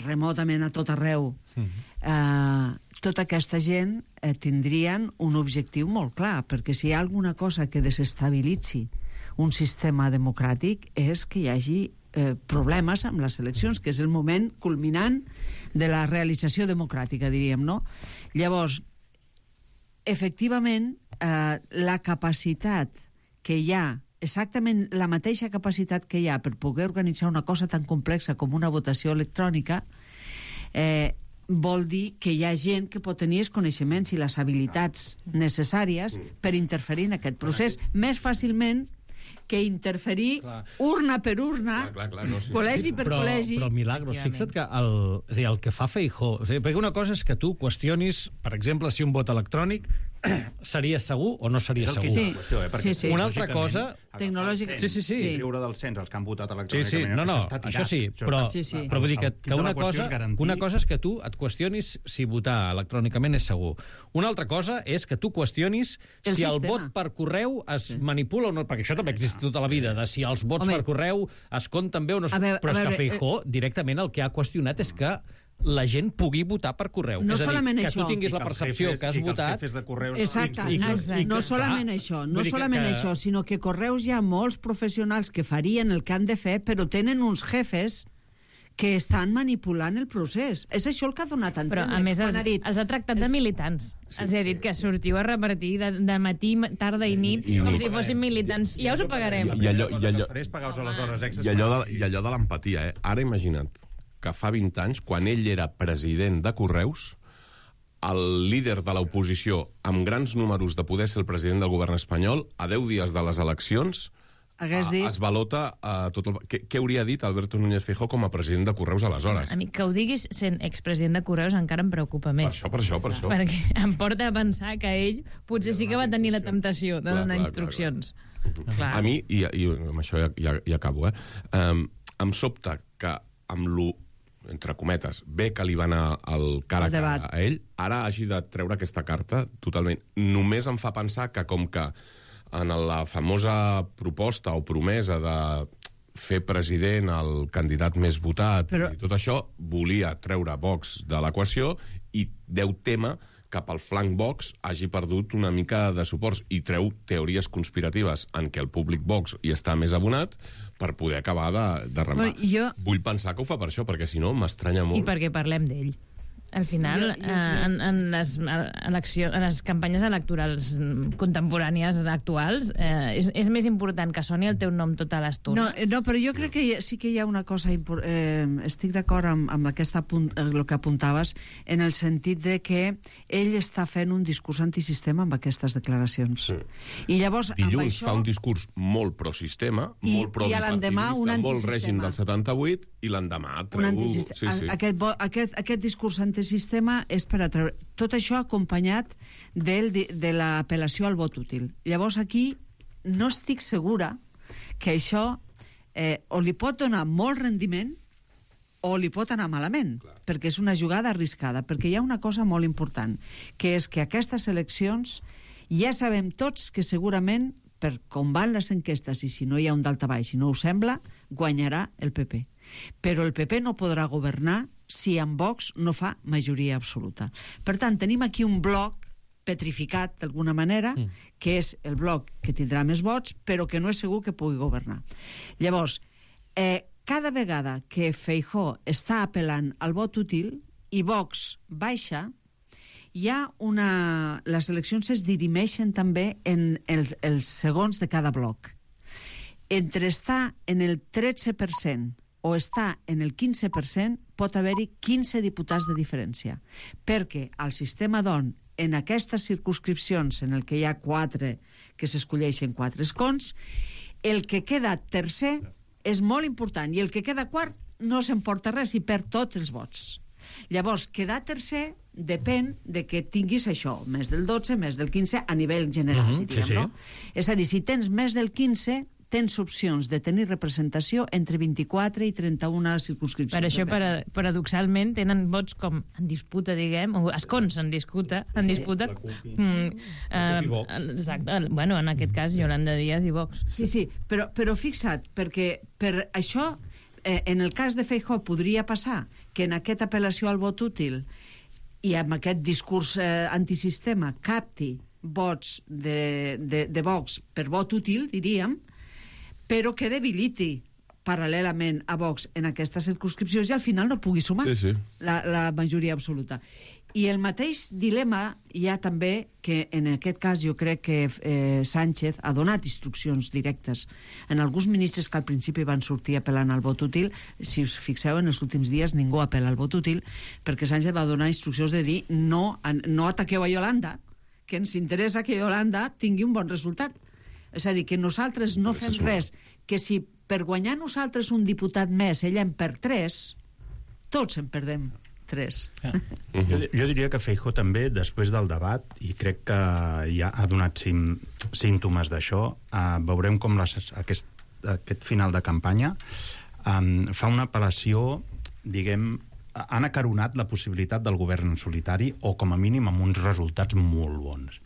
remotament a tot arreu, eh, tota aquesta gent eh, tindrien un objectiu molt clar, perquè si hi ha alguna cosa que desestabilitzi un sistema democràtic és que hi hagi eh, problemes amb les eleccions, que és el moment culminant de la realització democràtica, diríem, no? Llavors, efectivament, eh, la capacitat que hi ha, exactament la mateixa capacitat que hi ha per poder organitzar una cosa tan complexa com una votació electrònica, eh, vol dir que hi ha gent que pot tenir els coneixements i les habilitats necessàries per interferir en aquest procés més fàcilment que interferir Clar. urna per urna, Clar, clar, clar, no, sí. col·legi per però, col·legi. Però, Milagros, fixa't que el, és a dir, el que fa Feijóo... O sigui, perquè una cosa és que tu qüestionis, per exemple, si un vot electrònic seria segur o no seria És el que segur. és la qüestió, eh? Perquè Sí, sí. Una altra lògicament, cosa... agafar Tecnològica- el Sí, sí, sí. cens i treure del cens els que han votat Sí, electrònicament. sí, no, no, està tirat. això sí, però, Sí, sí. però vull dir que, El- el que quid de una, la qüestió cosa, és garantir- una cosa és que tu et qüestionis si votar electrònicament és segur. Una altra cosa és que tu qüestionis El si el sistema. vot per correu es manipula o no, perquè això també existe tota la vida, de si els vots Home. per correu es compten bé o no es... A veure- Però és a que veure, Feijóo directament el que ha qüestionat és que la gent pugui votar per correu. No és a dir, solament que això. tu tinguis I la que els percepció jefes- que has i que els votat... jefes de correus- Exacte, I- i- no, i- no que- solament clar, això, vull no dir que- solament que- això, sinó que Correus hi ha molts professionals que farien el que han de fer, però tenen uns jefes que estan manipulant el procés. És això el que ha donat a Però, entendre. a més, quan els, ha dit, els ha tractat de els- militants. Sí, els ha dit que sortiu a repartir de, de matí, tarda i nit, I- i- com si fossin militants. Ja us ho pagarem. I allò, i allò, Farés pagar-vos les hores extres. i allò, de, i allò de l'empatia, eh? Ara imagina't que fa vint anys, quan ell era president de Correus, el líder de l'oposició, amb grans números de poder ser el president del govern espanyol, a deu dies de les eleccions, Hagués a, dit... es balota a tot el... Què, què hauria dit Alberto Núñez Feijóo com a president de Correus aleshores? A mi que ho diguis sent expresident de Correus encara em preocupa Per més. això, per això, per això. Perquè em porta a pensar que ell potser sí que va tenir la temptació de Clar, donar clar, instruccions. Clar. A mi, i, i amb això ja, ja, ja acabo, eh? Um, em sobta que amb lo entre cometes, bé que li va anar el cara a cara a ell, ara hagi de treure aquesta carta totalment. Només em fa pensar que com que en la famosa proposta o promesa de fer president el candidat més votat Però... i tot això, volia treure Vox de l'equació i deu tema que pel flanc Vox hagi perdut una mica de suports i treu teories conspiratives en què el públic Vox hi està més abonat per poder acabar de, de remar. Bueno, jo... Vull pensar que ho fa per això, perquè si no m'estranya molt. I perquè parlem d'ell. Al final, Jo- jo- eh, en, en, les eleccions, en les campanyes electorals contemporànies actuals, eh, és, és més important que soni el teu nom tota l'estona. No, eh, no, però jo crec que hi ha, sí que hi ha una cosa... impor- Eh, estic d'acord amb, amb aquesta punt, el que apuntaves, en el sentit de que ell està fent un discurs antisistema amb aquestes declaracions. Sí. I llavors, Dilluns amb això... fa un discurs molt prosistema, I- molt pro i a l'endemà un molt antisistema. règim del setanta-vuit, i l'endemà un treu... antisistema. Sí, sí. Aquest, vo- aquest, aquest discurs antisistema és per atreure... Tot això acompanyat del, di- de l'apel·lació al vot útil. Llavors aquí no estic segura que això eh, o li pot donar molt rendiment o li pot anar malament, Clar. perquè és una jugada arriscada, perquè hi ha una cosa molt important, que és que aquestes eleccions ja sabem tots que segurament, per com van les enquestes i si no hi ha un daltabaix, si no ho sembla, guanyarà el P P. Però el P P no podrà governar si amb Vox no fa majoria absoluta. Per tant, tenim aquí un bloc petrificat d'alguna manera, mm. que és el bloc que tindrà més vots, però que no és segur que pugui governar. Llavors, eh, cada vegada que Feijóo està apel·lant al vot útil i Vox baixa, hi ha una... les eleccions es dirimeixen també en els, els segons de cada bloc. Entre estar en el tretze per cent o estar en el quinze per cent pot haver-hi quinze diputats de diferència, perquè al sistema D O N, en aquestes circunscripcions en el que hi ha quatre, que s'escolleixen quatre escons, el que queda tercer és molt important i el que queda quart no s'emporta res i perd tots els vots. Llavors, quedar tercer depèn de que tinguis això, més del dotze, més del quinze, a nivell general, Mm-hmm, diríem, sí, sí. no? És a dir, si tens més del quinze, tens opcions de tenir representació entre vint-i-quatre i trenta-una circunscripcions. Per això, para, paradoxalment, tenen vots com en disputa, diguem, o escons en disputa, en Sí. disputa. Mm, eh, exacte, bueno, en aquest cas, Yolanda Díaz i Vox. Sí, sí, però, però fixa't, perquè per això, eh, en el cas de Feijóo podria passar que en aquesta apel·lació al vot útil i amb aquest discurs eh, antisistema capti vots de, de, de Vox per vot útil, diríem, però que debiliti paral·lelament a Vox en aquestes circunscripcions i al final no pugui sumar Sí, sí. La, la majoria absoluta. I el mateix dilema hi ha també que en aquest cas jo crec que eh, Sánchez ha donat instruccions directes en alguns ministres que al principi van sortir apel·lant al vot útil. Si us fixeu, en els últims dies ningú apel·la al vot útil perquè Sánchez va donar instruccions de dir no, no ataqueu a Yolanda, que ens interessa que Yolanda tingui un bon resultat. És a dir, que nosaltres no fem res, que si per guanyar nosaltres un diputat més ella en perd tres, tots en perdem tres. Ah. jo, jo diria que Feijóo també, després del debat, i crec que ja ha donat sim, símptomes d'això, uh, veurem com les, aquest, aquest final de campanya um, fa una apel·lació, diguem, han acaronat la possibilitat del govern en solitari o com a mínim amb uns resultats molt bons.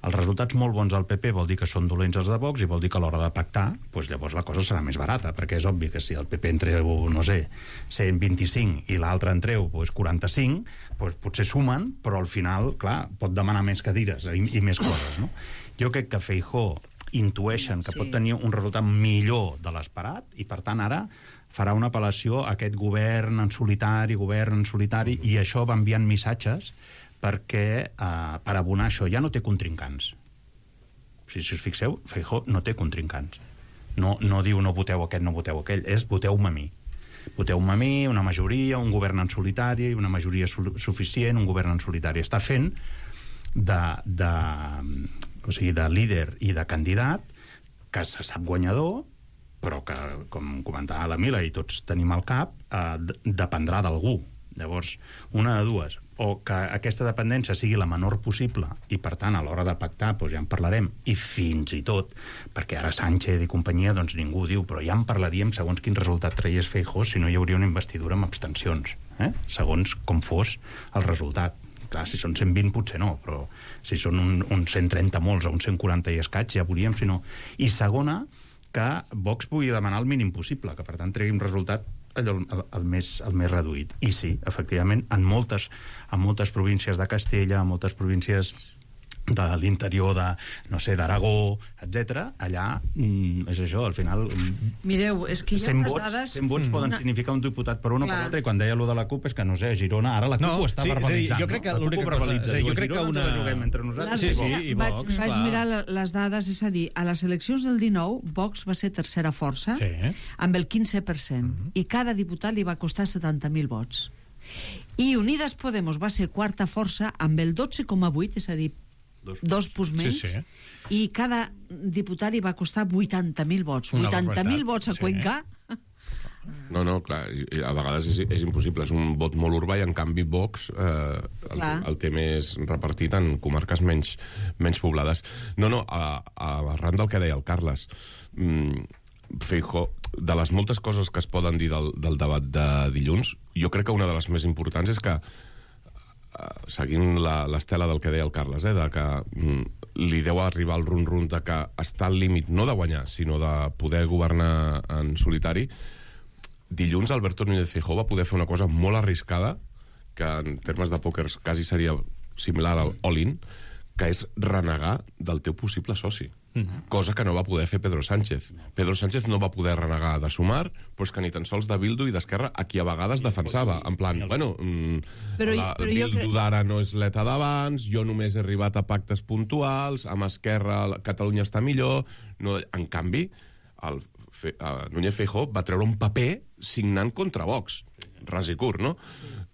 Els resultats molt bons del P P vol dir que són dolents els de Vox i vol dir que a l'hora de pactar, doncs llavors la cosa serà més barata, perquè és obvi que si el P P en treu, no sé, cent vint-i-cinc i l'altre en treu doncs quaranta-cinc, doncs potser sumen, però al final, clar, pot demanar més cadires i, i més coses, no? Jo crec que Feijóo intueixen que Sí. pot tenir un resultat millor de l'esperat i, per tant, ara farà una apel·lació a aquest govern en solitari, govern en solitari, i això va enviant missatges perquè, eh, per abonar això, ja no té contrincants. Si, si us fixeu, Feijóo no té contrincants. No, no diu no voteu aquest, no voteu aquell, és voteu-me a mi. Voteu-me a mi, una majoria, un govern en solitari, una majoria su suficient, un govern en solitari. Està fent de, de, o sigui, de líder i de candidat que se sap guanyador, però que, com comentava la Mila i tots tenim al cap, eh, dependrà d'algú. Llavors, una de dues, o que aquesta dependència sigui la menor possible i, per tant, a l'hora de pactar doncs ja en parlarem, i fins i tot, perquè ara Sánchez i companyia, doncs ningú diu, però ja en parlaríem segons quin resultat traies Feijóo si no hi hauria una investidura amb abstencions, eh? Segons com fos el resultat. Clar, si són cent vint potser no, però si són un, un cent trenta molts o un cent quaranta i escaig ja veuríem si no. I segona, que Vox pugui demanar el mínim possible, que per tant tregui un resultat allò, el, el, més, el més reduït. I sí, efectivament, en moltes, en moltes províncies de Castella, en moltes províncies de l'interior de, no sé, d'Aragó, etcètera, allà, mm, és això, al final... Mireu, és que hi ha cent unes vots, dades... cent vots poden una... significar un diputat per un o per Clar. l'altre, i quan deia allò de la CUP és que, no sé, a Girona, ara la CUP No, ho està sí, és a dir, verbalitzant, jo crec que no? La CUP l'única ho cosa- verbalitza. sí, jo Diu, crec que Girona ens una- la juguem entre nosaltres. Sí, i sí, Vox. i vaig, Vox, vaig clar. mirar la- les dades, és a dir, a les eleccions del dinou, Vox va ser tercera força, Sí. amb el quinze per cent, i cada diputat li va costar setanta mil vots. I Unides Podemos va ser quarta força amb el dotze coma vuit, és a dir, dos, dos punts menys, Sí, sí. i cada diputat li va costar vuitanta mil vots. Una vuitanta mil barbaritat, vots a sí. Cuenca. No, no, clar, i- i a vegades és, és impossible, és un vot molt urbà i en canvi Vox eh, el, Clar. el té més repartit en comarques menys, menys poblades. No, no, a, a arran del que deia el Carles, mm, Feijóo, de les moltes coses que es poden dir del, del debat de dilluns, jo crec que una de les més importants és que, eh, seguint la- l'estela del que deia el Carles, eh, de que mm, li deu arribar el run-run de que està al límit no de guanyar, sinó de poder governar en solitari. Dilluns Alberto Núñez Feijóo va poder fer una cosa molt arriscada, que en termes de pòquer quasi seria similar al all-in, que és renegar del teu possible soci. Mm-hmm. Cosa que no va poder fer Pedro Sánchez. Pedro Sánchez no va poder renegar de Sumar, però és que ni tan sols de Bildu i d'Esquerra, a qui a vegades defensava. En plan, bueno, mm, Però, la, però Bildu crec... d'ara no és l'ETA d'abans, jo només he arribat a pactes puntuals, amb Esquerra Catalunya està millor... No, en canvi, el Fe, uh, Núñez Feijóo va treure un paper signant contra Vox. Ras i curt, no?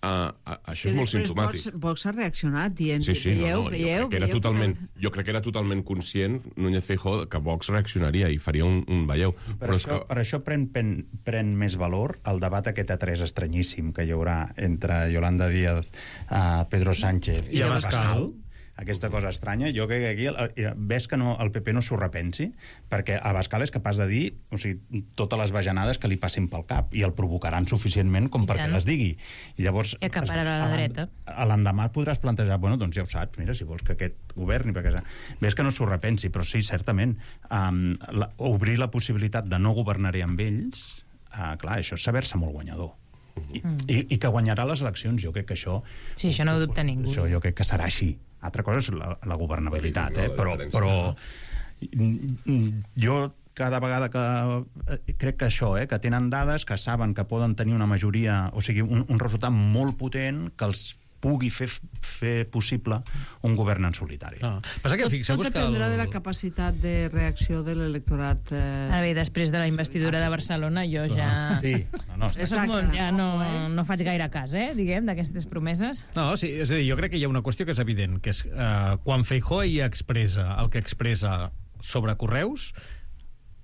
Uh, uh, això és molt simptomàtic. Vox, Vox ha reaccionat dient... Sí, sí, veieu, no, no, veieu, jo, crec que era veieu, totalment, que... jo crec que era totalment conscient Núñez Feijóo que Vox reaccionaria i faria un, un veieu. Per, Però això, és que... per això pren, pren, pren més valor el debat aquest a tres estranyíssim que hi haurà entre Yolanda Díaz, uh, Pedro Sánchez i, i Abascal. Abascal. Aquesta cosa estranya, jo crec que aquí el, ves que no, el P P no s'ho repensi, perquè Abascal és capaç de dir, o sigui, totes les bajanades que li passin pel cap, i el provocaran suficientment com perquè les digui. I llavors... I acapararà la dreta. A l'endemà podràs plantejar, bueno, doncs ja ho saps, mira, si vols que aquest governi, perquè ves que no s'ho repensi, però sí, certament, um, la, obrir la possibilitat de no governar-hi amb ells, uh, clar, això és saber-se molt guanyador. I, mm. i, i que guanyarà les eleccions, jo crec que això... Sí, això no ho dubta ningú. Això jo crec que serà així. Altra cosa és la, la governabilitat, eh? però, però jo cada vegada que... Crec que això, eh? que tenen dades, que saben que poden tenir una majoria, o sigui, un, un resultat molt potent que els pugui fer, fer possible un govern en solitari. Ah. Passa que tot, fixeu-vos tot que... dependrà el... de la capacitat de reacció de l'electorat. Eh... Ara bé, després de la investidura de Barcelona, jo ja... Sí, no, no. Exacte, molt, ja no, no faig gaire cas, eh, diguem, d'aquestes promeses. No, sí, és a dir, jo crec que hi ha una qüestió que és evident, que és eh, quan Feijóo hi expressa el que expressa sobre correus,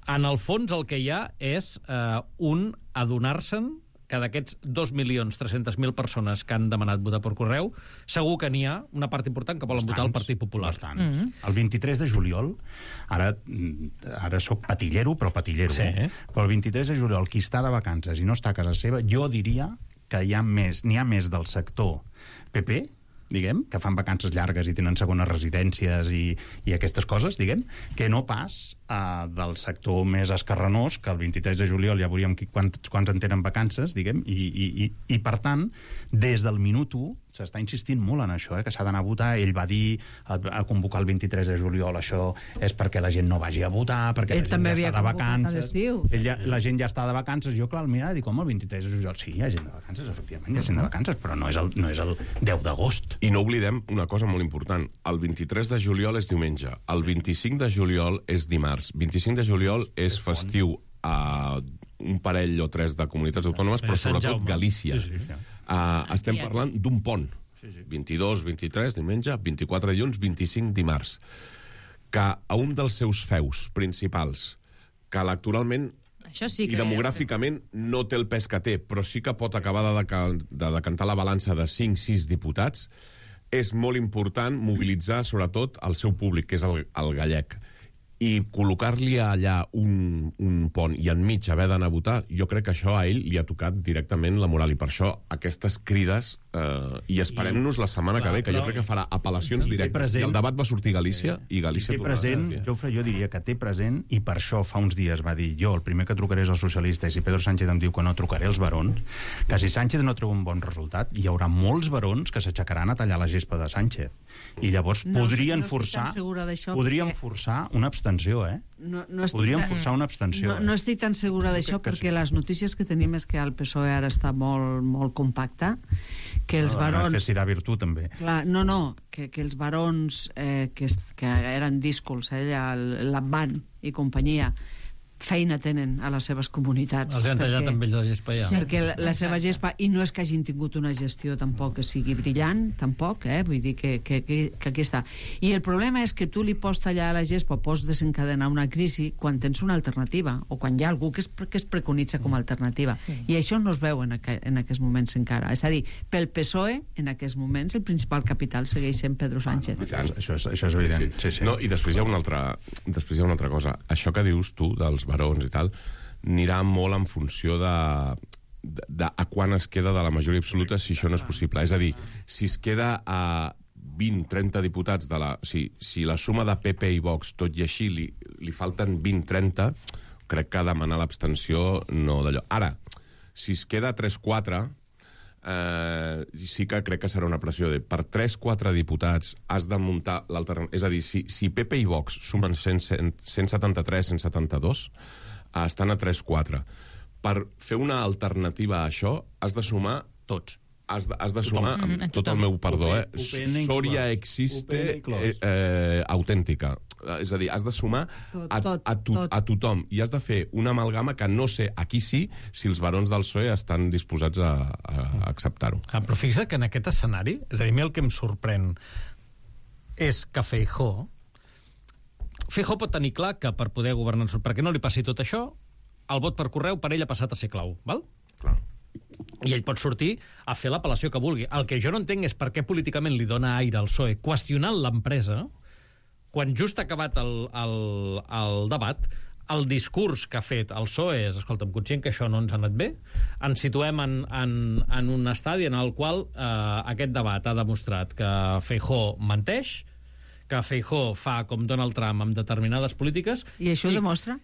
en el fons el que hi ha és eh, un adonar-se'n que d'aquests dos milions tres-cents mil persones que han demanat votar per correu, segur que n'hi ha una part important que volen votar el Partit Popular. Mm -hmm. El vint-i-tres de juliol, ara, ara soc patillero, però patillero, sí. però el vint-i-tres de juliol, qui està de vacances i no està a casa seva, jo diria que hi ha més, n'hi ha més del sector P P, diguem, que fan vacances llargues i tenen segones residències i, i aquestes coses, diguem, que no pas uh, del sector més escarranós, que el vint-i-tres de juliol ja veuríem quants, quants en tenen vacances, diguem, i, i, i, i per tant, des del minut u s'està insistint molt en això, eh, que s'ha d'anar a votar. Ell va dir a, a convocar el vint-i-tres de juliol, això és perquè la gent no vagi a votar, perquè ell la gent ja està de vacances. Ell ja, la gent ja està de vacances. Jo, clar, al mirar, dic, home, el vint-i-tres de juliol, sí, hi ha gent de vacances, efectivament, hi ha gent de vacances, però no és el, no és el deu d'agost. I no oblidem una cosa molt important. El vint-i-tres de juliol és diumenge. El vint-i-cinc de juliol és dimarts. vint-i-cinc de juliol és festiu a un parell o tres de comunitats autònomes, però sobretot Galícia. Sí, sí, sí. Uh, estem parlant d'un pont. Sí, sí. vint-i-dos, vint-i-tres, diumenge, vint-i-quatre dilluns, vint-i-cinc dimarts. Que a un dels seus feus principals, que electoralment Això sí que i demogràficament no té el pes que té, però sí que pot acabar de, deca- de decantar la balança de cinc sis diputats, és molt important mobilitzar sobretot el seu públic, que és el, el gallec. I col·locar-li allà un, un pont i enmig haver d'anar a votar, jo crec que això a ell li ha tocat directament la moral, i per això aquestes crides, eh, i esperem-nos la setmana Clar, que ve, que però... jo crec que farà apel·lacions directes. present... I el debat va sortir a Galícia, i Galícia... I té present, Jofre, jo diria que té present, i per això fa uns dies va dir, jo el primer que trucaré és als socialistes, i Pedro Sánchez em diu que no trucaré als barons, que si Sánchez no treu un bon resultat, hi haurà molts barons que s'aixecaran a tallar la gespa de Sánchez. I llavors no, podrien no forçar perquè... podrien forçar una abstenció, eh? No, no estic... Podríem forçar una abstenció. No, no estic tan segura d'això, perquè sí. Les notícies que tenim és que el P S O E ara està molt, molt compacte, que els no, barons... Necessitarà virtut, també. Clar, no, no, que, que els barons eh, que, que eren díscols, eh, l'Amban i companyia, feina tenen a les seves comunitats. Els han tallat amb ells la gespa ja. Sí, perquè la, la seva gespa, i no és que hagin tingut una gestió tampoc que sigui brillant, tampoc, eh? Vull dir que, que, que, que aquí està. I el problema és que tu li pots tallar a la gespa, pots desencadenar una crisi quan tens una alternativa, o quan hi ha algú que es, que es preconitza com a alternativa. Sí. I això no es veu en, aqu en aquests moments encara. És a dir, pel P S O E, en aquests moments, el principal capital segueix sent Pedro Sánchez. Ah, no, això, és, això és evident. Sí, sí. Sí, sí. No, i després hi ha una altra, després hi ha una altra cosa. Això que dius tu dels barons i tal, anirà molt en funció de, de, de a quan es queda de la majoria absoluta, si això no és possible. És a dir, si es queda a vint trenta diputats de la... Si, si la suma de P P i Vox, tot i així, li, li falten vint trenta, crec que demanar l'abstenció no d'allò. Ara, si es queda tres quatre, eh, sí que crec que serà una pressió de per tres quatre diputats has de muntar l'alternativa. És a dir, si, si P P i Vox sumen cent, cent, cent setanta-tres, cent setanta-dos, eh, estan a tres quatre. Per fer una alternativa a això, has de sumar tots. Has de, has de sumar, amb mm, tot el meu perdó, eh? Soria existe eh, eh, autèntica. És a dir, has de sumar a, a, to, a tothom i has de fer una amalgama que no sé, aquí sí, si els barons del P S O E estan disposats a, a acceptar-ho. Ah, però fixa't que en aquest escenari, és a dir, a mi el que em sorprèn és que Feijóo Feijóo pot tenir clar que per poder governar, perquè no li passi tot això, el vot per correu per ell ha passat a ser clau, val? Clar. I ell pot sortir a fer l'apel·lació que vulgui. El que jo no entenc és per què políticament li dona aire al P S O E qüestionant l'empresa quan just ha acabat el, el, el debat, el discurs que ha fet el P S O E és, escolta'm, conscient que això no ens ha anat bé, ens situem en, en, en un estadi en el qual eh, aquest debat ha demostrat que Feijóo menteix, que Feijóo fa com Donald Trump amb determinades polítiques... I això ho demostra?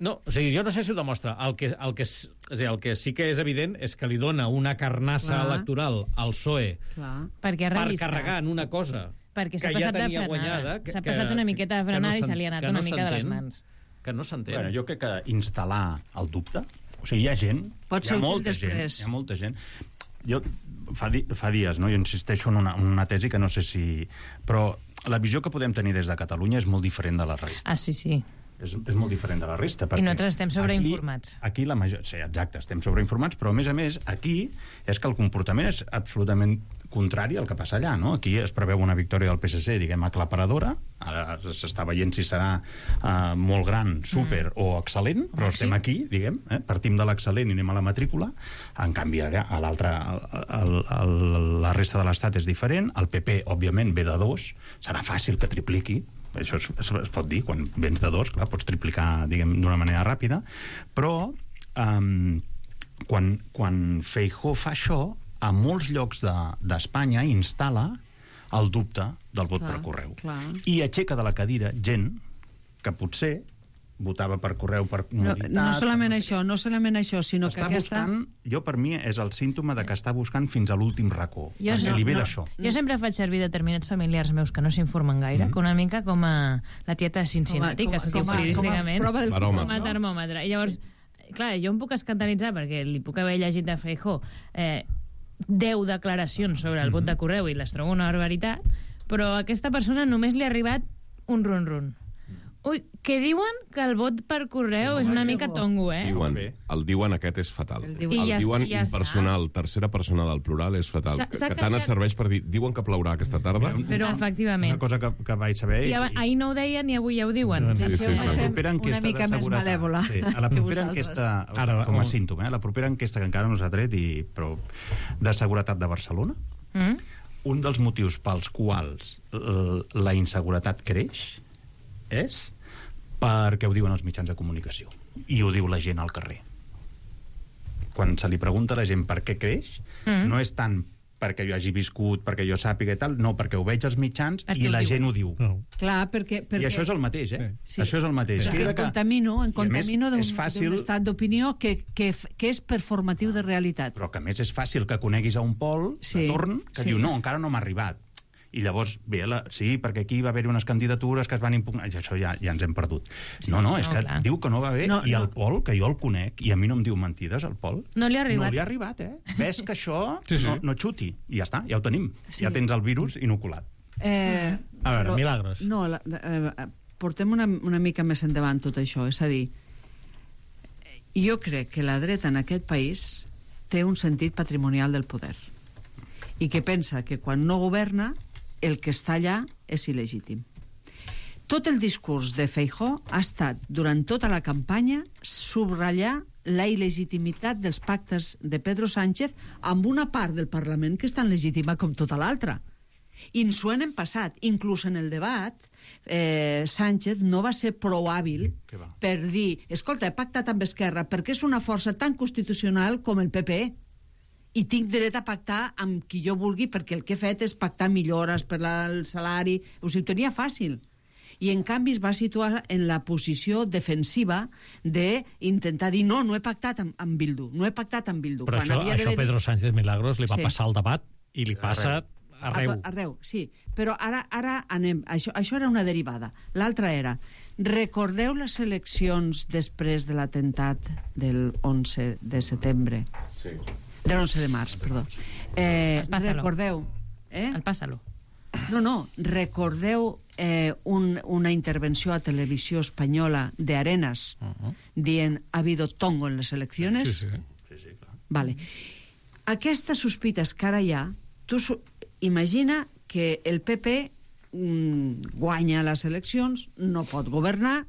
No, o sigui, jo no sé si ho demostra. El que, el, que, és, és dir, el que sí que és evident és que li dona una carnassa Clar. electoral al P S O E Clar. Perquè per carregar en una cosa perquè que ja tenia guanyada. S'ha passat una miqueta de frenada no i se li ha anat una no mica de les mans. Que no s'entén. Bueno, jo crec que instal·lar el dubte... O sigui, hi ha gent... Pot ser hi ha molta gent, hi ha molta gent... Jo fa, di, fa dies, no? Jo insisteixo en una, una tesi que no sé si... Però la visió que podem tenir des de Catalunya és molt diferent de la resta. Ah, sí, sí. És, és molt diferent de la resta. I nosaltres estem sobreinformats. Aquí, aquí la major... Sí, exacte, estem sobreinformats, però a més a més, aquí és que el comportament és absolutament contrari al que passa allà, no? Aquí es preveu una victòria del P S C, diguem, aclaparadora, ara s'està veient si serà uh, molt gran, súper mm. o excel·lent, però sí. Estem aquí, diguem, eh? Partim de l'excel·lent i anem a la matrícula, en canvi allà, a l'altra, la resta de l'estat és diferent, el P P, òbviament, ve de dos, serà fàcil que tripliqui, això es, es, es pot dir, quan vens de dos, clar, pots triplicar, diguem, d'una manera ràpida, però um, quan, quan Feijóo fa això, a molts llocs d'Espanya de, instal·la el dubte del vot clar, per correu. Clar. I aixeca de la cadira gent que potser votava per correu per comoditat... No, no solament això, no solament això, sinó està que aquesta... buscant, jo per mi és el símptoma de que està buscant fins a l'últim racó. Jo, no, li ve no, d'això. Jo sempre faig servir determinats familiars meus que no s'informen gaire, mm. que una mica com a la tieta de Cincinnati, que es diu periodísticament, com a termòmetre. I llavors, clar, jo em puc escandalitzar perquè li puc haver llegit de Feijóo eh, deu declaracions sobre el vot de correu i les trobo una barbaritat, però a aquesta persona només li ha arribat un run-run. Ui, que diuen que el vot per correu no, és una mica tongo, eh? Diuen, el diuen aquest és fatal. El, diuen, el ja diuen ja impersonal, està. Tercera persona del plural és fatal. Que, que tant et serveix per dir, diuen que plourà aquesta tarda? Però, efectivament. Una cosa que, que vaig saber... I, i... ahir no ho deien i avui ja ho diuen. Sí, sí, sí, sí. La propera enquesta una mica més malèvola. Sí, a la propera enquesta, Ara, com a símptoma, eh? La propera enquesta que encara no s'ha tret, i, però de seguretat de Barcelona, mm? un dels motius pels quals la inseguretat creix és perquè ho diuen els mitjans de comunicació i ho diu la gent al carrer. Quan se li pregunta a la gent per què creix, mm. no és tant perquè jo hagi viscut, perquè jo sàpiga i tal, no, perquè ho veig als mitjans perquè i la gent ho diu. No. Clar, perquè, perquè... I això és el mateix, eh? Sí. Això és el mateix. Perquè en contamino, en contamino d'un fàcil... estat d'opinió que, que, que és performatiu de realitat. Però que a més és fàcil que coneguis a un Pol sí. de torn que sí. diu, no, encara no m'ha arribat. I llavors, bé, la, sí, perquè aquí va haver unes candidatures que es van impugnar, i això ja, ja ens hem perdut. Sí, no, no, és no, que clar. Diu que no va bé, no, i el Pol, que jo el conec, i a mi no em diu mentides, el Pol. No li ha arribat. No li ha arribat, eh? Ves que això sí, sí. No, no xuti, i ja està, ja ho tenim. Sí. Ja tens el virus inoculat. Eh, a veure, però, milagros. No, la, eh, portem una, una mica més endavant tot això, és a dir, jo crec que la dreta en aquest país té un sentit patrimonial del poder i que pensa que quan no governa el que està allà és il·legítim. Tot el discurs de Feijóo ha estat, durant tota la campanya, subratllar la il·legitimitat dels pactes de Pedro Sánchez amb una part del Parlament que és tan legítima com tota l'altra. I ens ho hem passat. Inclús en el debat, eh, Sánchez no va ser prou hàbil per dir, escolta, he pactat amb Esquerra perquè és una força tan constitucional com el P P E. I tinc dret a pactar amb qui jo vulgui perquè el que he fet és pactar millores per al salari, o sigui, ho tenia fàcil. i en canvi es va situar en la posició defensiva d'intentar dir no, no he pactat amb, amb Bildu, no he pactat amb Bildu. Però Quan això, havia això dit... Pedro Sánchez Milagros li va Sí. passar al debat i li passa arreu. Arreu, sí. Però ara, ara anem... Això, això era una derivada. L'altra era... Recordeu les eleccions després de l'atemptat del onze de setembre? Sí. De l'onze de març, perdó. Eh, Pásalo. recordeu... Eh? El pásalo. No, no, recordeu eh, un, una intervenció a televisió espanyola de Arenas uh -huh. dient ha habido tongo en les eleccions? Sí, sí. Sí, sí, clar. Vale. Aquestes sospites que ara hi ha, tu imagina que el P P mm, guanya les eleccions, no pot governar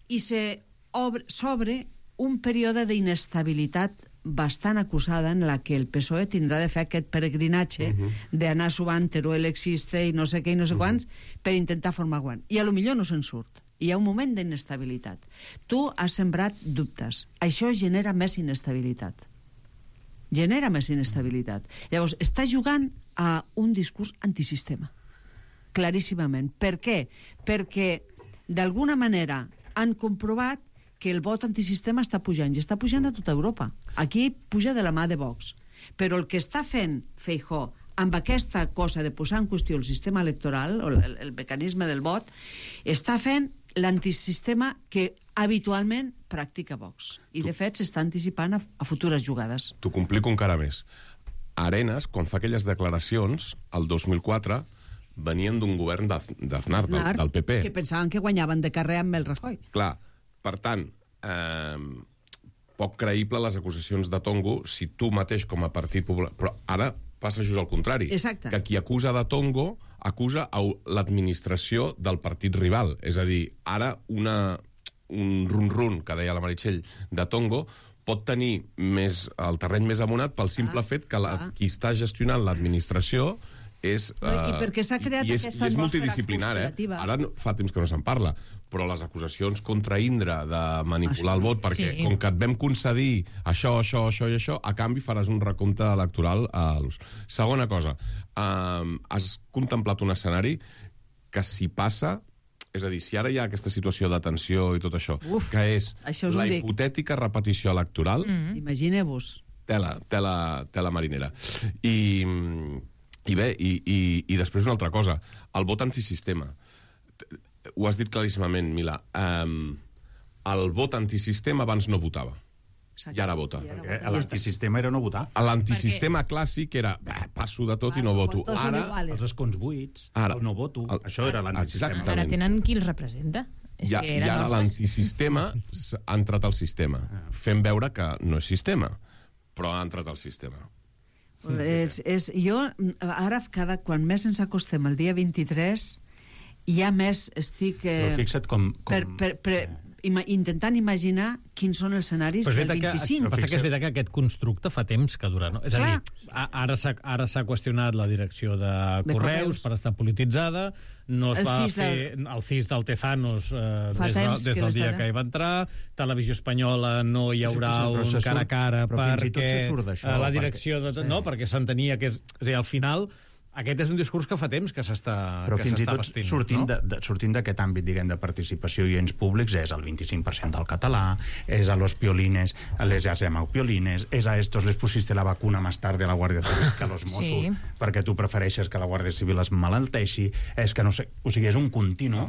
i s'obre un període d'inestabilitat bastant acusada en la que el P S O E tindrà de fer aquest peregrinatge uh -huh. d'anar subant Teruel existe i no sé què i no sé uh -huh. quants per intentar formar govern. I a lo millor no se'n surt. Hi ha un moment d'inestabilitat. Tu has sembrat dubtes. Això genera més inestabilitat. Genera més inestabilitat. Llavors, està jugant a un discurs antisistema. Claríssimament. Per què? Perquè, d'alguna manera, han comprovat que el vot antisistema està pujant, i està pujant a tota Europa. Aquí puja de la mà de Vox. Però el que està fent Feijóo amb aquesta cosa de posar en qüestió el sistema electoral, o el, el mecanisme del vot, està fent l'antisistema que habitualment practica Vox. I, de fet, s'està anticipant a, a futures jugades. T'ho complico encara més. Arenas, quan fa aquelles declaracions, el dos mil quatre, venien d'un govern d'Aznar, del, del P P. Que pensaven que guanyaven de carrer amb el Rajoy. Clar, per tant, eh, poc creïble les acusacions de Tongo si tu mateix com a Partit Popular... Però ara passa just al contrari. Exacte. Que qui acusa de Tongo acusa a l'administració del partit rival. És a dir, ara una, un run-run, que deia la Meritxell, de Tongo pot tenir més, el terreny més amonat pel simple ah, fet que la, ah. qui està gestionant l'administració és... Uh, I perquè s'ha creat i és, aquesta i és multidisciplinar, eh? Ara no, fa temps que no se'n parla, però les acusacions contra Indra de manipular el vot, perquè sí. com que et vam concedir això, això, això i això, a canvi faràs un recompte electoral a l'ús. Segona cosa, um, has contemplat un escenari que si passa... És a dir, si ara hi ha aquesta situació de tensió i tot això, Uf, que és això la hipotètica repetició electoral... Mm. Imagineu-vos. Tela, tela, tela marinera. I, i bé, i, i, i després una altra cosa, el vot antisistema. Ho has dit claríssimament, Mila. Um, el vot antisistema abans no votava. Exacte. I ara vota. Perquè l'antisistema era no votar. L'antisistema Perquè... clàssic era passo de tot passo, i no voto. Ara, els escons buits, ara, el no voto, el... això era l'antisistema. Ara tenen qui els representa. És ja, que I ara l'antisistema ha entrat al sistema, fent veure que no és sistema, però ha entrat al sistema. És, és, jo, ara, cada, quan més ens acostem el dia vint-i-tres, ja més estic... Eh, però fixa't com... com... Per, per, per, ima, intentant imaginar quins són els escenaris del vint-i-cinc. Que, passa que és veritat que aquest constructe fa temps que dura, no? És Clar. a dir, ara s'ha ara s'ha qüestionat la direcció de, de Correus, Correus per estar polititzada, no es el va fer del... el C I S del Tezanos eh, des, de, des del dia que hi va entrar, Televisió Espanyola no hi haurà sí, un cara a cara perquè la direcció... Perquè... De, no, perquè s'entenia que... És, és a dir, al final... Aquest és un discurs que fa temps que s'està vestint. Però fins i tot vestint, sortint, no? de, de, sortint d'aquest àmbit, diguem, de participació i ens públics, és el vint-i-cinc per cent del català, és a los piolines, les has llamado piolines, és a estos les pusiste la vacuna más tarde a la Guàrdia Civil que a los Mossos, sí. perquè tu prefereixes que la Guàrdia Civil es malalteixi, és que no sé... O sigui, és un continu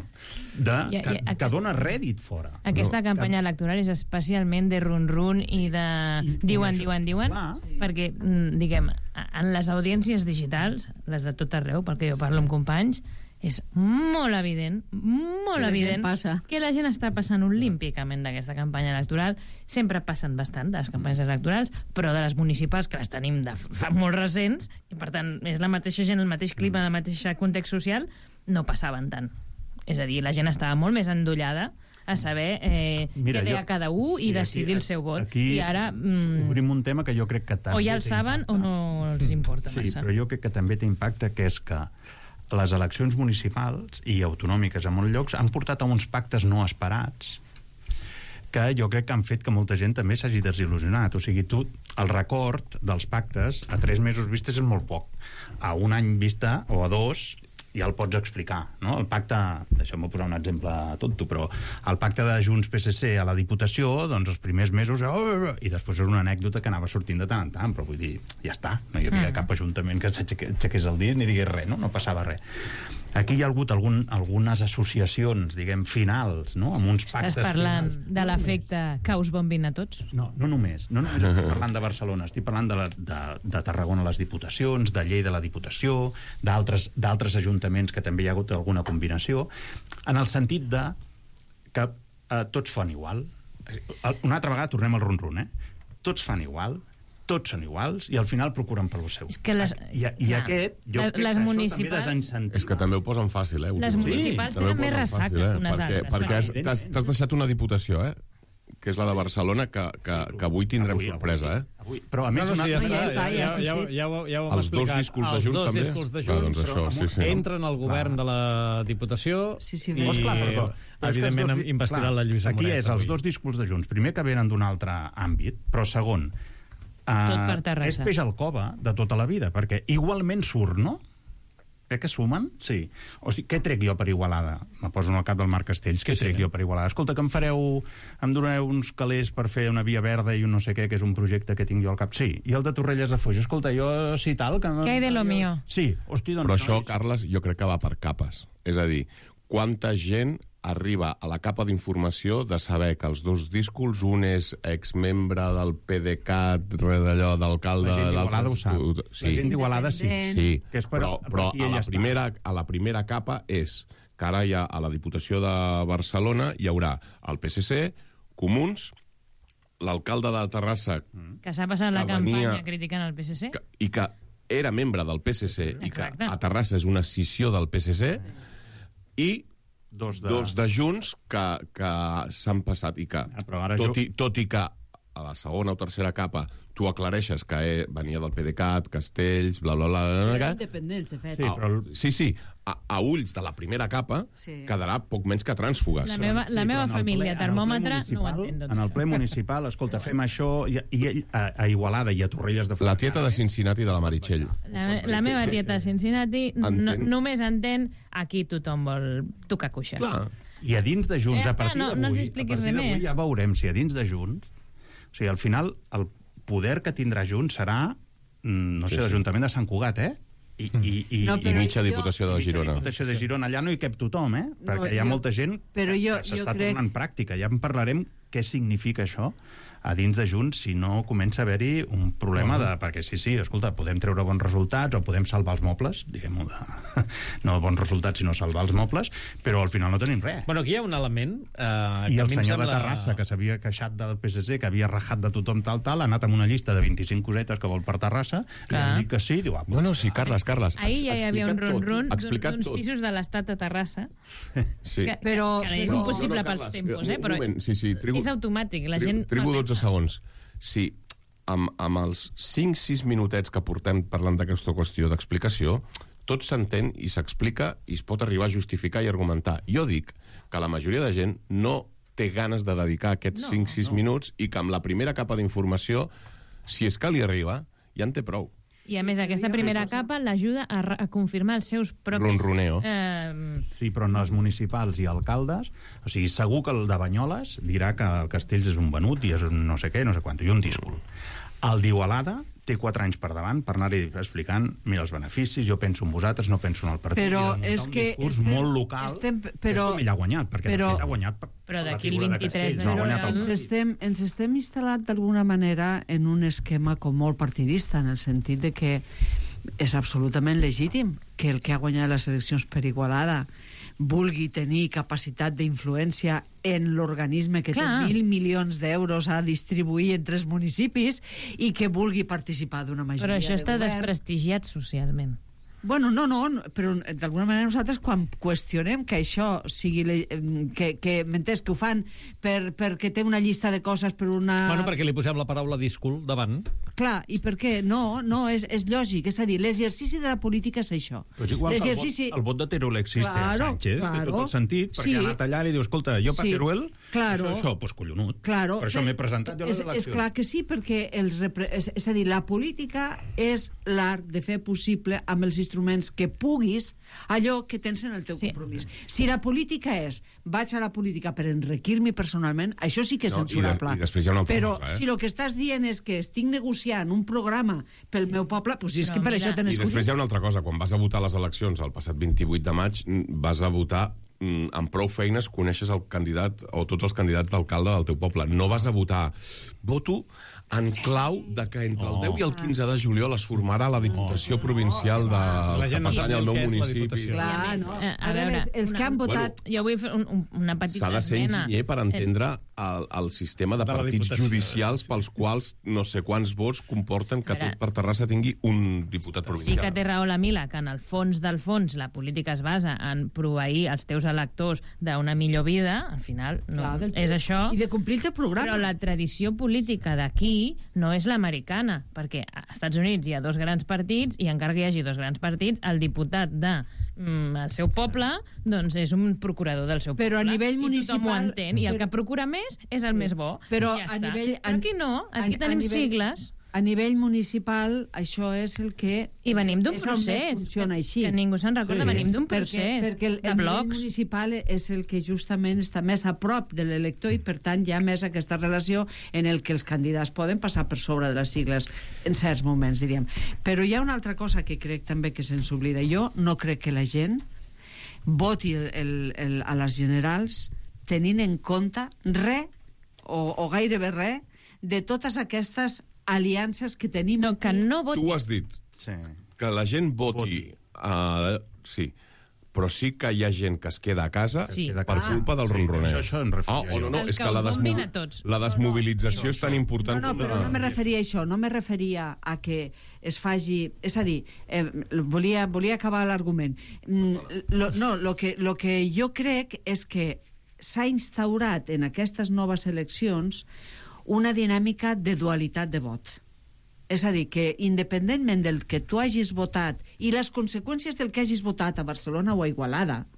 de, I, que, i, aquest, que dona rèdit fora. Aquesta no, campanya que... electoral és especialment de run-run i de I, diuen, diuen, diuen, sí. perquè, diguem, en les audiències digitals, les de tot arreu, perquè jo parlo amb companys, és molt evident, molt que evident la que la gent està passant olímpicament d'aquesta campanya electoral. Sempre passen bastant de les campanyes electorals, però de les municipals, que les tenim de fa molt recents, i per tant és la mateixa gent, el mateix clima, el mateix context social, no passaven tant. És a dir, la gent estava molt més endollada a saber eh, Mira, què deia jo, cada un sí, i decidir aquí, el seu vot. Aquí I ara... Mm, obrim un tema que jo crec que també... O ja el saben o no els importa sí, massa. Sí, però jo crec que també té impacte, que és que les eleccions municipals i autonòmiques a molts llocs han portat a uns pactes no esperats que jo crec que han fet que molta gent també s'hagi desil·lusionat. O sigui, tu, el record dels pactes a tres mesos vistes és molt poc. A un any vista, o a dos, ja el pots explicar, no? El pacte, deixeu-me posar un exemple tonto, però el pacte de Junts-P S C a la Diputació, doncs els primers mesos, oh, i després era una anècdota que anava sortint de tant en tant, però vull dir, ja està, no hi havia mm. cap ajuntament que s'aixequés el dit ni digués res, no? No passava res. Aquí hi ha hagut algun, algunes associacions, diguem, finals, no? Amb uns pactes Estàs parlant finals. de l'efecte que us bombin a tots? No, no només. No només estic parlant de Barcelona, estic parlant de, la, de, de Tarragona les Diputacions, de Lleida la Diputació, d'altres ajuntaments que també hi ha hagut alguna combinació, en el sentit de que eh, tots fan igual. Una altra vegada tornem al run-run, eh? Tots fan igual, tots són iguals i al final procuren pel seu. És que les, I, i clar, aquest, jo les, crec les que municipals... això també desincentiva. És que també ho posen fàcil, eh? Les municipals sí, tenen més ressaca fàcil, eh? que unes perquè, altres. Perquè has, t'has, t'has deixat una diputació, eh? Que és la de Barcelona, que, que, que avui tindrem avui, sorpresa, avui, eh? Avui. Però a més... No, no, sí, ja, no, ja està, ja, ja, ja, ja, ja, ja ho hem els dos discurs de Junts, els també? dos discurs de Junts, clar, doncs això, sí, sí, entren al govern clar. de la Diputació sí, sí, i, doncs, clar, però, però, evidentment, dos, investiran la Lluïsa Aquí Moret. és els dos discurs de Junts. Primer, que venen d'un altre àmbit, però segon, uh, és peix al cova de tota la vida, perquè igualment surt, no? Eh, que sumen? Sí. Hosti, què trec jo per Igualada? Me poso en el cap del Marc Castells. Què sí, trec sí, jo per Igualada? Escolta, que em fareu... Em donareu uns calés per fer una via verda i un no sé què, que és un projecte que tinc jo al cap. Sí. I el de Torrelles de Foix? Escolta, jo sí tal... Que... Què hi de lo jo... mío? Sí. Hosti, doncs... Però això, no, Carles, jo crec que va per capes. És a dir, quanta gent arriba a la capa d'informació de saber que els dos discurs, un és exmembre del PDeCAT, res d'allò, d'alcalde... La gent d'Igualada ho sap. Sí. La gent d'Igualada sí. Sí, que és per, però, però per a, la primera, a la primera capa és que ara ja a la Diputació de Barcelona hi haurà el P S C, Comuns, l'alcalde de Terrassa... Que s'ha passat la venia, campanya criticant el P S C. Que, I que era membre del P S C i Exacte. que a Terrassa és una escissió del P S C i dos de, dos de Junts que, que s'han passat i que, ja, ara tot, jo... i, tot i que a la segona o tercera capa tu aclareixes que eh, venia del PDeCAT, Castells, bla, bla, bla... bla, bla independents, de fet. Sí, però... sí, sí. A, a ulls de la primera capa sí. quedarà poc menys que trànsfugues. La meva, la sí, meva família, ple, termòmetre, no ho entén tot. En el ple municipal, escolta, fem això i, i a, a Igualada i a Torrelles de Foix. La tieta de Cincinnati de la Meritxell. La, la meva tieta de Cincinnati no, només entén aquí tothom vol tocar cuixa. Clar. I a dins de Junts, ja a partir no, d'avui, no ens expliquis res més. Ja veurem si a dins de Junts... O sigui, al final, el poder que tindrà Junts serà, no sé, sí, sí. l'Ajuntament de Sant Cugat, eh? I, i, i, no, i mitja jo... Diputació de Girona. Diputació de Girona. Allà no hi cap tothom, eh? Perquè no, hi ha jo... molta gent però jo, que s'està crec... tornant pràctica. Ja en parlarem què significa això a dins de Junts si no comença a haver-hi un problema de... Perquè sí, sí, escolta, podem treure bons resultats o podem salvar els mobles, diguem-ho de... no bons resultats, sinó salvar els mobles, però al final no tenim res. Bueno, aquí hi ha un element... Eh, I que el senyor sembla... de Terrassa, que s'havia queixat del P S C, que havia rajat de tothom tal, tal, ha anat amb una llista de vint-i-cinc cosetes que vol per Terrassa, i han dit que sí, diu... Ah, no, no, sí, Carles, Carles... Ahir ja hi havia un run-run d'uns tot. pisos de l'estat de Terrassa, sí. que, però, que és però, impossible no, no, pels Carles, tempos, eh? Però moment, sí, sí, trigo, és automàtic, la gent... Trigo dotze segons. Sí, amb, amb els cinc sis minutets que portem parlant d'aquesta qüestió d'explicació, tot s'entén i s'explica i es pot arribar a justificar i argumentar. Jo dic que la majoria de gent no té ganes de dedicar aquests cinc sis no, no. minuts i que amb la primera capa d'informació, si és que li arriba, ja en té prou. I a més, aquesta primera capa l'ajuda a, a confirmar els seus propis... Ronroneo. Eh... Sí, però en els municipals i alcaldes, o sigui, segur que el de Banyoles dirà que el Castells és un venut i és un no sé què, no sé quant, i un díscol. El d'Igualada té quatre anys per davant per anar-hi explicant, mira, els beneficis, jo penso en vosaltres, no penso en el partit. Però és un que... discurs estem, molt local, estem, però, és com ell ha guanyat, perquè però, de fet ha guanyat per, però per la d'aquí el figura de vint-i-tres Castells. de No ha guanyat el ens, estem, ens estem instal·lat d'alguna manera en un esquema com molt partidista, en el sentit de que és absolutament legítim que el que ha guanyat les eleccions per Igualada vulgui tenir capacitat d'influència en l'organisme que Clar. té mil milions d'euros a distribuir entre els municipis i que vulgui participar d'una majoria Però això de està govern. desprestigiat socialment. Bueno, no, no, però d'alguna manera nosaltres quan qüestionem que això sigui... que, que m'entens, que ho fan per, perquè té una llista de coses per una... Bueno, perquè li posem la paraula discul davant. Clar, i per què? No, no, és, és lògic. És a dir, l'exercici de la política és això. Però és igual que el vot, el vot de Teruel existe claro, a Sánchez, claro. té tot el sentit, perquè sí. ha anat allà i diu, escolta, jo per sí. Teruel Claro. Això, això, doncs collonut. Claro, per això m'he presentat jo a les és, eleccions. és clar que sí, perquè els repre... és, és a dir, la política és l'art de fer possible amb els instruments que puguis allò que tens en el teu sí. compromís. Si la política és vaig a la política per enriquir-me personalment, això sí que és No, censurable. i de- i després hi ha una altra Però cosa, eh? si el que estàs dient és que estic negociant un programa pel sí. meu poble, doncs és Però que per mira- això t'han I després hi escollit. ha una altra cosa. Quan vas a votar a les eleccions el passat vint-i-vuit de maig, vas a votar mm, amb prou feines coneixes el candidat o tots els candidats d'alcalde del teu poble. No vas a votar. Voto en clau de que entre el deu i el quinze de juliol es formarà la Diputació Provincial de La que gent no pertany sap al ni meu què és la municipi. Diputació. Clar, no. Eh, a A veure, veure, els que han votat... Jo vull fer un, un, una petita S'ha de ser esmena. enginyer per entendre el, el sistema de, De la partits Diputació. judicials pels quals no sé quants vots comporten que A veure, tot per Terrassa tingui un diputat Sí provincial. que té raó la Mila, que en el fons del fons la política es basa en proveir els teus electors d'una millor vida, al final no, Clar, del- és això. I de complir el programa. Però la tradició política d'aquí no és l'americana, perquè als Estats Units hi ha dos grans partits i encara que hi hagi dos grans partits, el diputat de mm, el seu poble doncs és un procurador del seu poble. Però a nivell municipal- I tothom ho entén, i el però- que procura més és el Sí. més bo. Però I ja a està. nivell- Però aquí no, aquí a- a tenim nivell- sigles. A nivell municipal, això és el que... I venim d'un és on més procés, funciona que- així. que ningú se'n recorda, venim d'un procés perquè, perquè el, de el nivell blocs. municipal és el que justament està més a prop de l'elector i, per tant, hi ha més aquesta relació en el que els candidats poden passar per sobre de les sigles en certs moments, diríem. Però hi ha una altra cosa que crec també que se'ns oblida. Jo no crec que la gent voti el, el, el, a les generals tenint en compte res, o, o gairebé res, de totes aquestes aliances que tenim. No, que no voti. Tu has dit Sí. que la gent voti... Uh, sí, però sí que hi ha gent que es queda a casa Sí. per Ah. culpa del Sí, ronroner. això- això em referia Ah, oh, no, no, El és que que la, us bombin desmobi a tots. la desmobilització és tan important No, no, com però la... no me referia a això, no me referia a que es faci... És a dir, eh, volia, volia acabar l'argument. Mm, lo, no, lo que, lo que jo crec és que s'ha instaurat en aquestes noves eleccions una dinàmica de dualitat de vot. És a dir, que independentment del que tu hagis votat i les conseqüències del que hagis votat a Barcelona o a Igualada,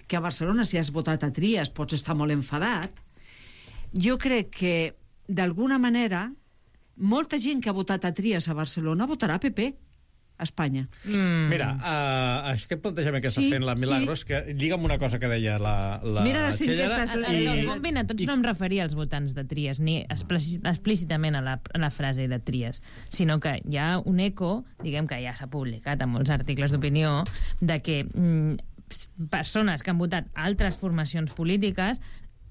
que a Barcelona si has votat a Trias pots estar molt enfadat, jo crec que d'alguna manera molta gent que ha votat a Trias a Barcelona votarà P P a Espanya. Mm. Mira, uh, aquest plantejament que està Sí, fent la Milagros, sí. que lliga amb una cosa que deia la, la Mira les Txellera, enquestes, El, el, i- els bombin a tots no em referia als votants de Trias, ni explícit- explícitament a la, a la frase de Trias, sinó que hi ha un eco, diguem que ja s'ha publicat en molts articles d'opinió, de que mm, persones que han votat altres formacions polítiques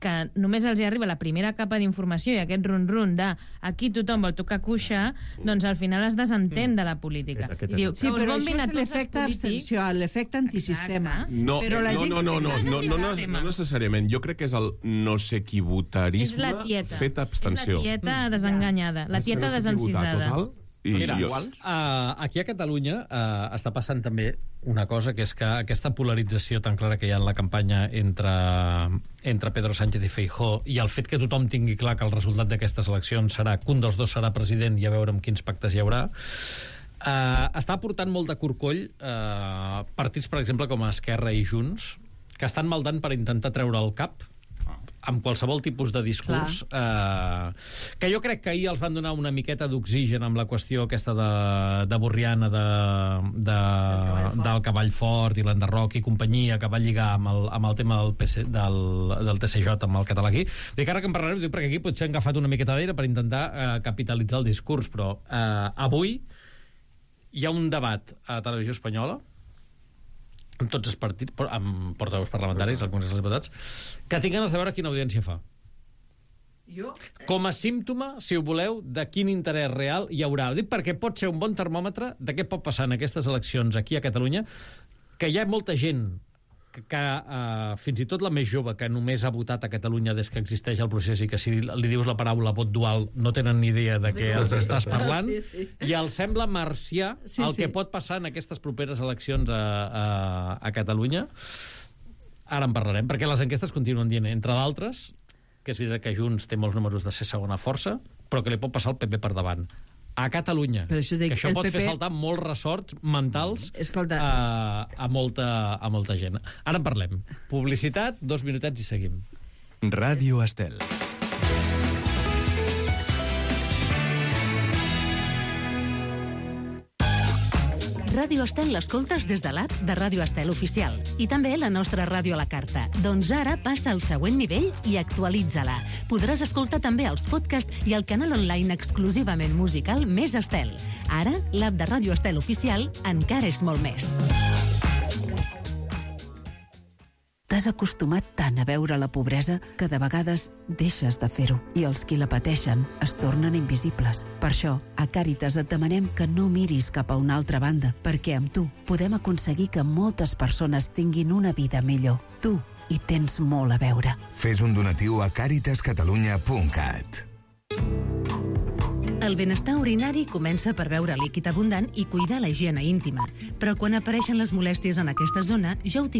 que només els hi arriba la primera capa d'informació i aquest run-run de aquí tothom vol tocar cuixa, doncs al final es desentén de la política. Aquest- aquest I diu, és Sí, que us però bombin això a és tots els l'efecte polítics. abstenció, l'efecte antisistema. Exacte. No, Però la no, gent no, que no, no, té- no, no, no, no, no necessàriament. Jo crec que és el no sé qui És votarisme la tieta. fet abstenció. És la tieta desenganyada, la És que tieta no sé qui votar, desencisada. total, i Mira, jo- uh, aquí a Catalunya uh, està passant també una cosa, que és que aquesta polarització tan clara que hi ha en la campanya entre, entre Pedro Sánchez i Feijóo i el fet que tothom tingui clar que el resultat d'aquestes eleccions serà que un dels dos serà president i a veure amb quins pactes hi haurà, uh, està portant molt de corcoll uh, partits, per exemple, com Esquerra i Junts, que estan maldant per intentar treure el cap amb qualsevol tipus de discurs, eh, que jo crec que ahir els van donar una miqueta d'oxigen amb la qüestió aquesta de, de Borriana, de, de, del Cavall Fort i l'Enderroc i companyia, que va lligar amb el, amb el tema del, P C, del, del T C J, amb el català aquí. Dic, ara que en parlarem, dic, perquè aquí potser han agafat una miqueta d'aire per intentar eh, capitalitzar el discurs, però eh, avui hi ha un debat a Televisió Espanyola amb tots els partits, amb portaveus parlamentaris, al Congrés dels Diputats, que tinc ganes de veure quina audiència fa. Jo? Com a símptoma, si ho voleu, de quin interès real hi haurà. Ho dic perquè pot ser un bon termòmetre de què pot passar en aquestes eleccions aquí a Catalunya, que hi ha molta gent que, que uh, fins i tot la més jove, que només ha votat a Catalunya des que existeix el procés i que si li dius la paraula vot dual no tenen ni idea de què els estàs parlant, Sí, sí. i els sembla marcià Sí, el sí. que pot passar en aquestes properes eleccions a, a, a Catalunya. Ara en parlarem, perquè les enquestes continuen dient, entre d'altres, que és veritat que Junts té molts números de ser segona força, però que li pot passar el P P per davant. A Catalunya, Per això dic, que això el pot P P fer saltar molts ressorts mentals Escolta. a, a, molta, a molta gent. Ara en parlem. Publicitat, dos minutets i seguim. Ràdio Estel. Ràdio Estel l'escoltes des de l'app de Ràdio Estel Oficial i també la nostra ràdio a la carta. Doncs ara passa al següent nivell i actualitza-la. Podràs escoltar també els podcasts i el canal online exclusivament musical Més Estel. Ara, l'app de Ràdio Estel Oficial encara és molt més. T'has acostumat tant a veure la pobresa que de vegades deixes de fer-ho i els qui la pateixen es tornen invisibles. Per això, a Càritas et demanem que no miris cap a una altra banda, perquè amb tu podem aconseguir que moltes persones tinguin una vida millor. Tu hi tens molt a veure. Fes un donatiu a càritas catalunya punt cat. El benestar urinari comença per beure líquid abundant i cuidar la higiene íntima. Però quan apareixen les molèsties en aquesta zona, ja ho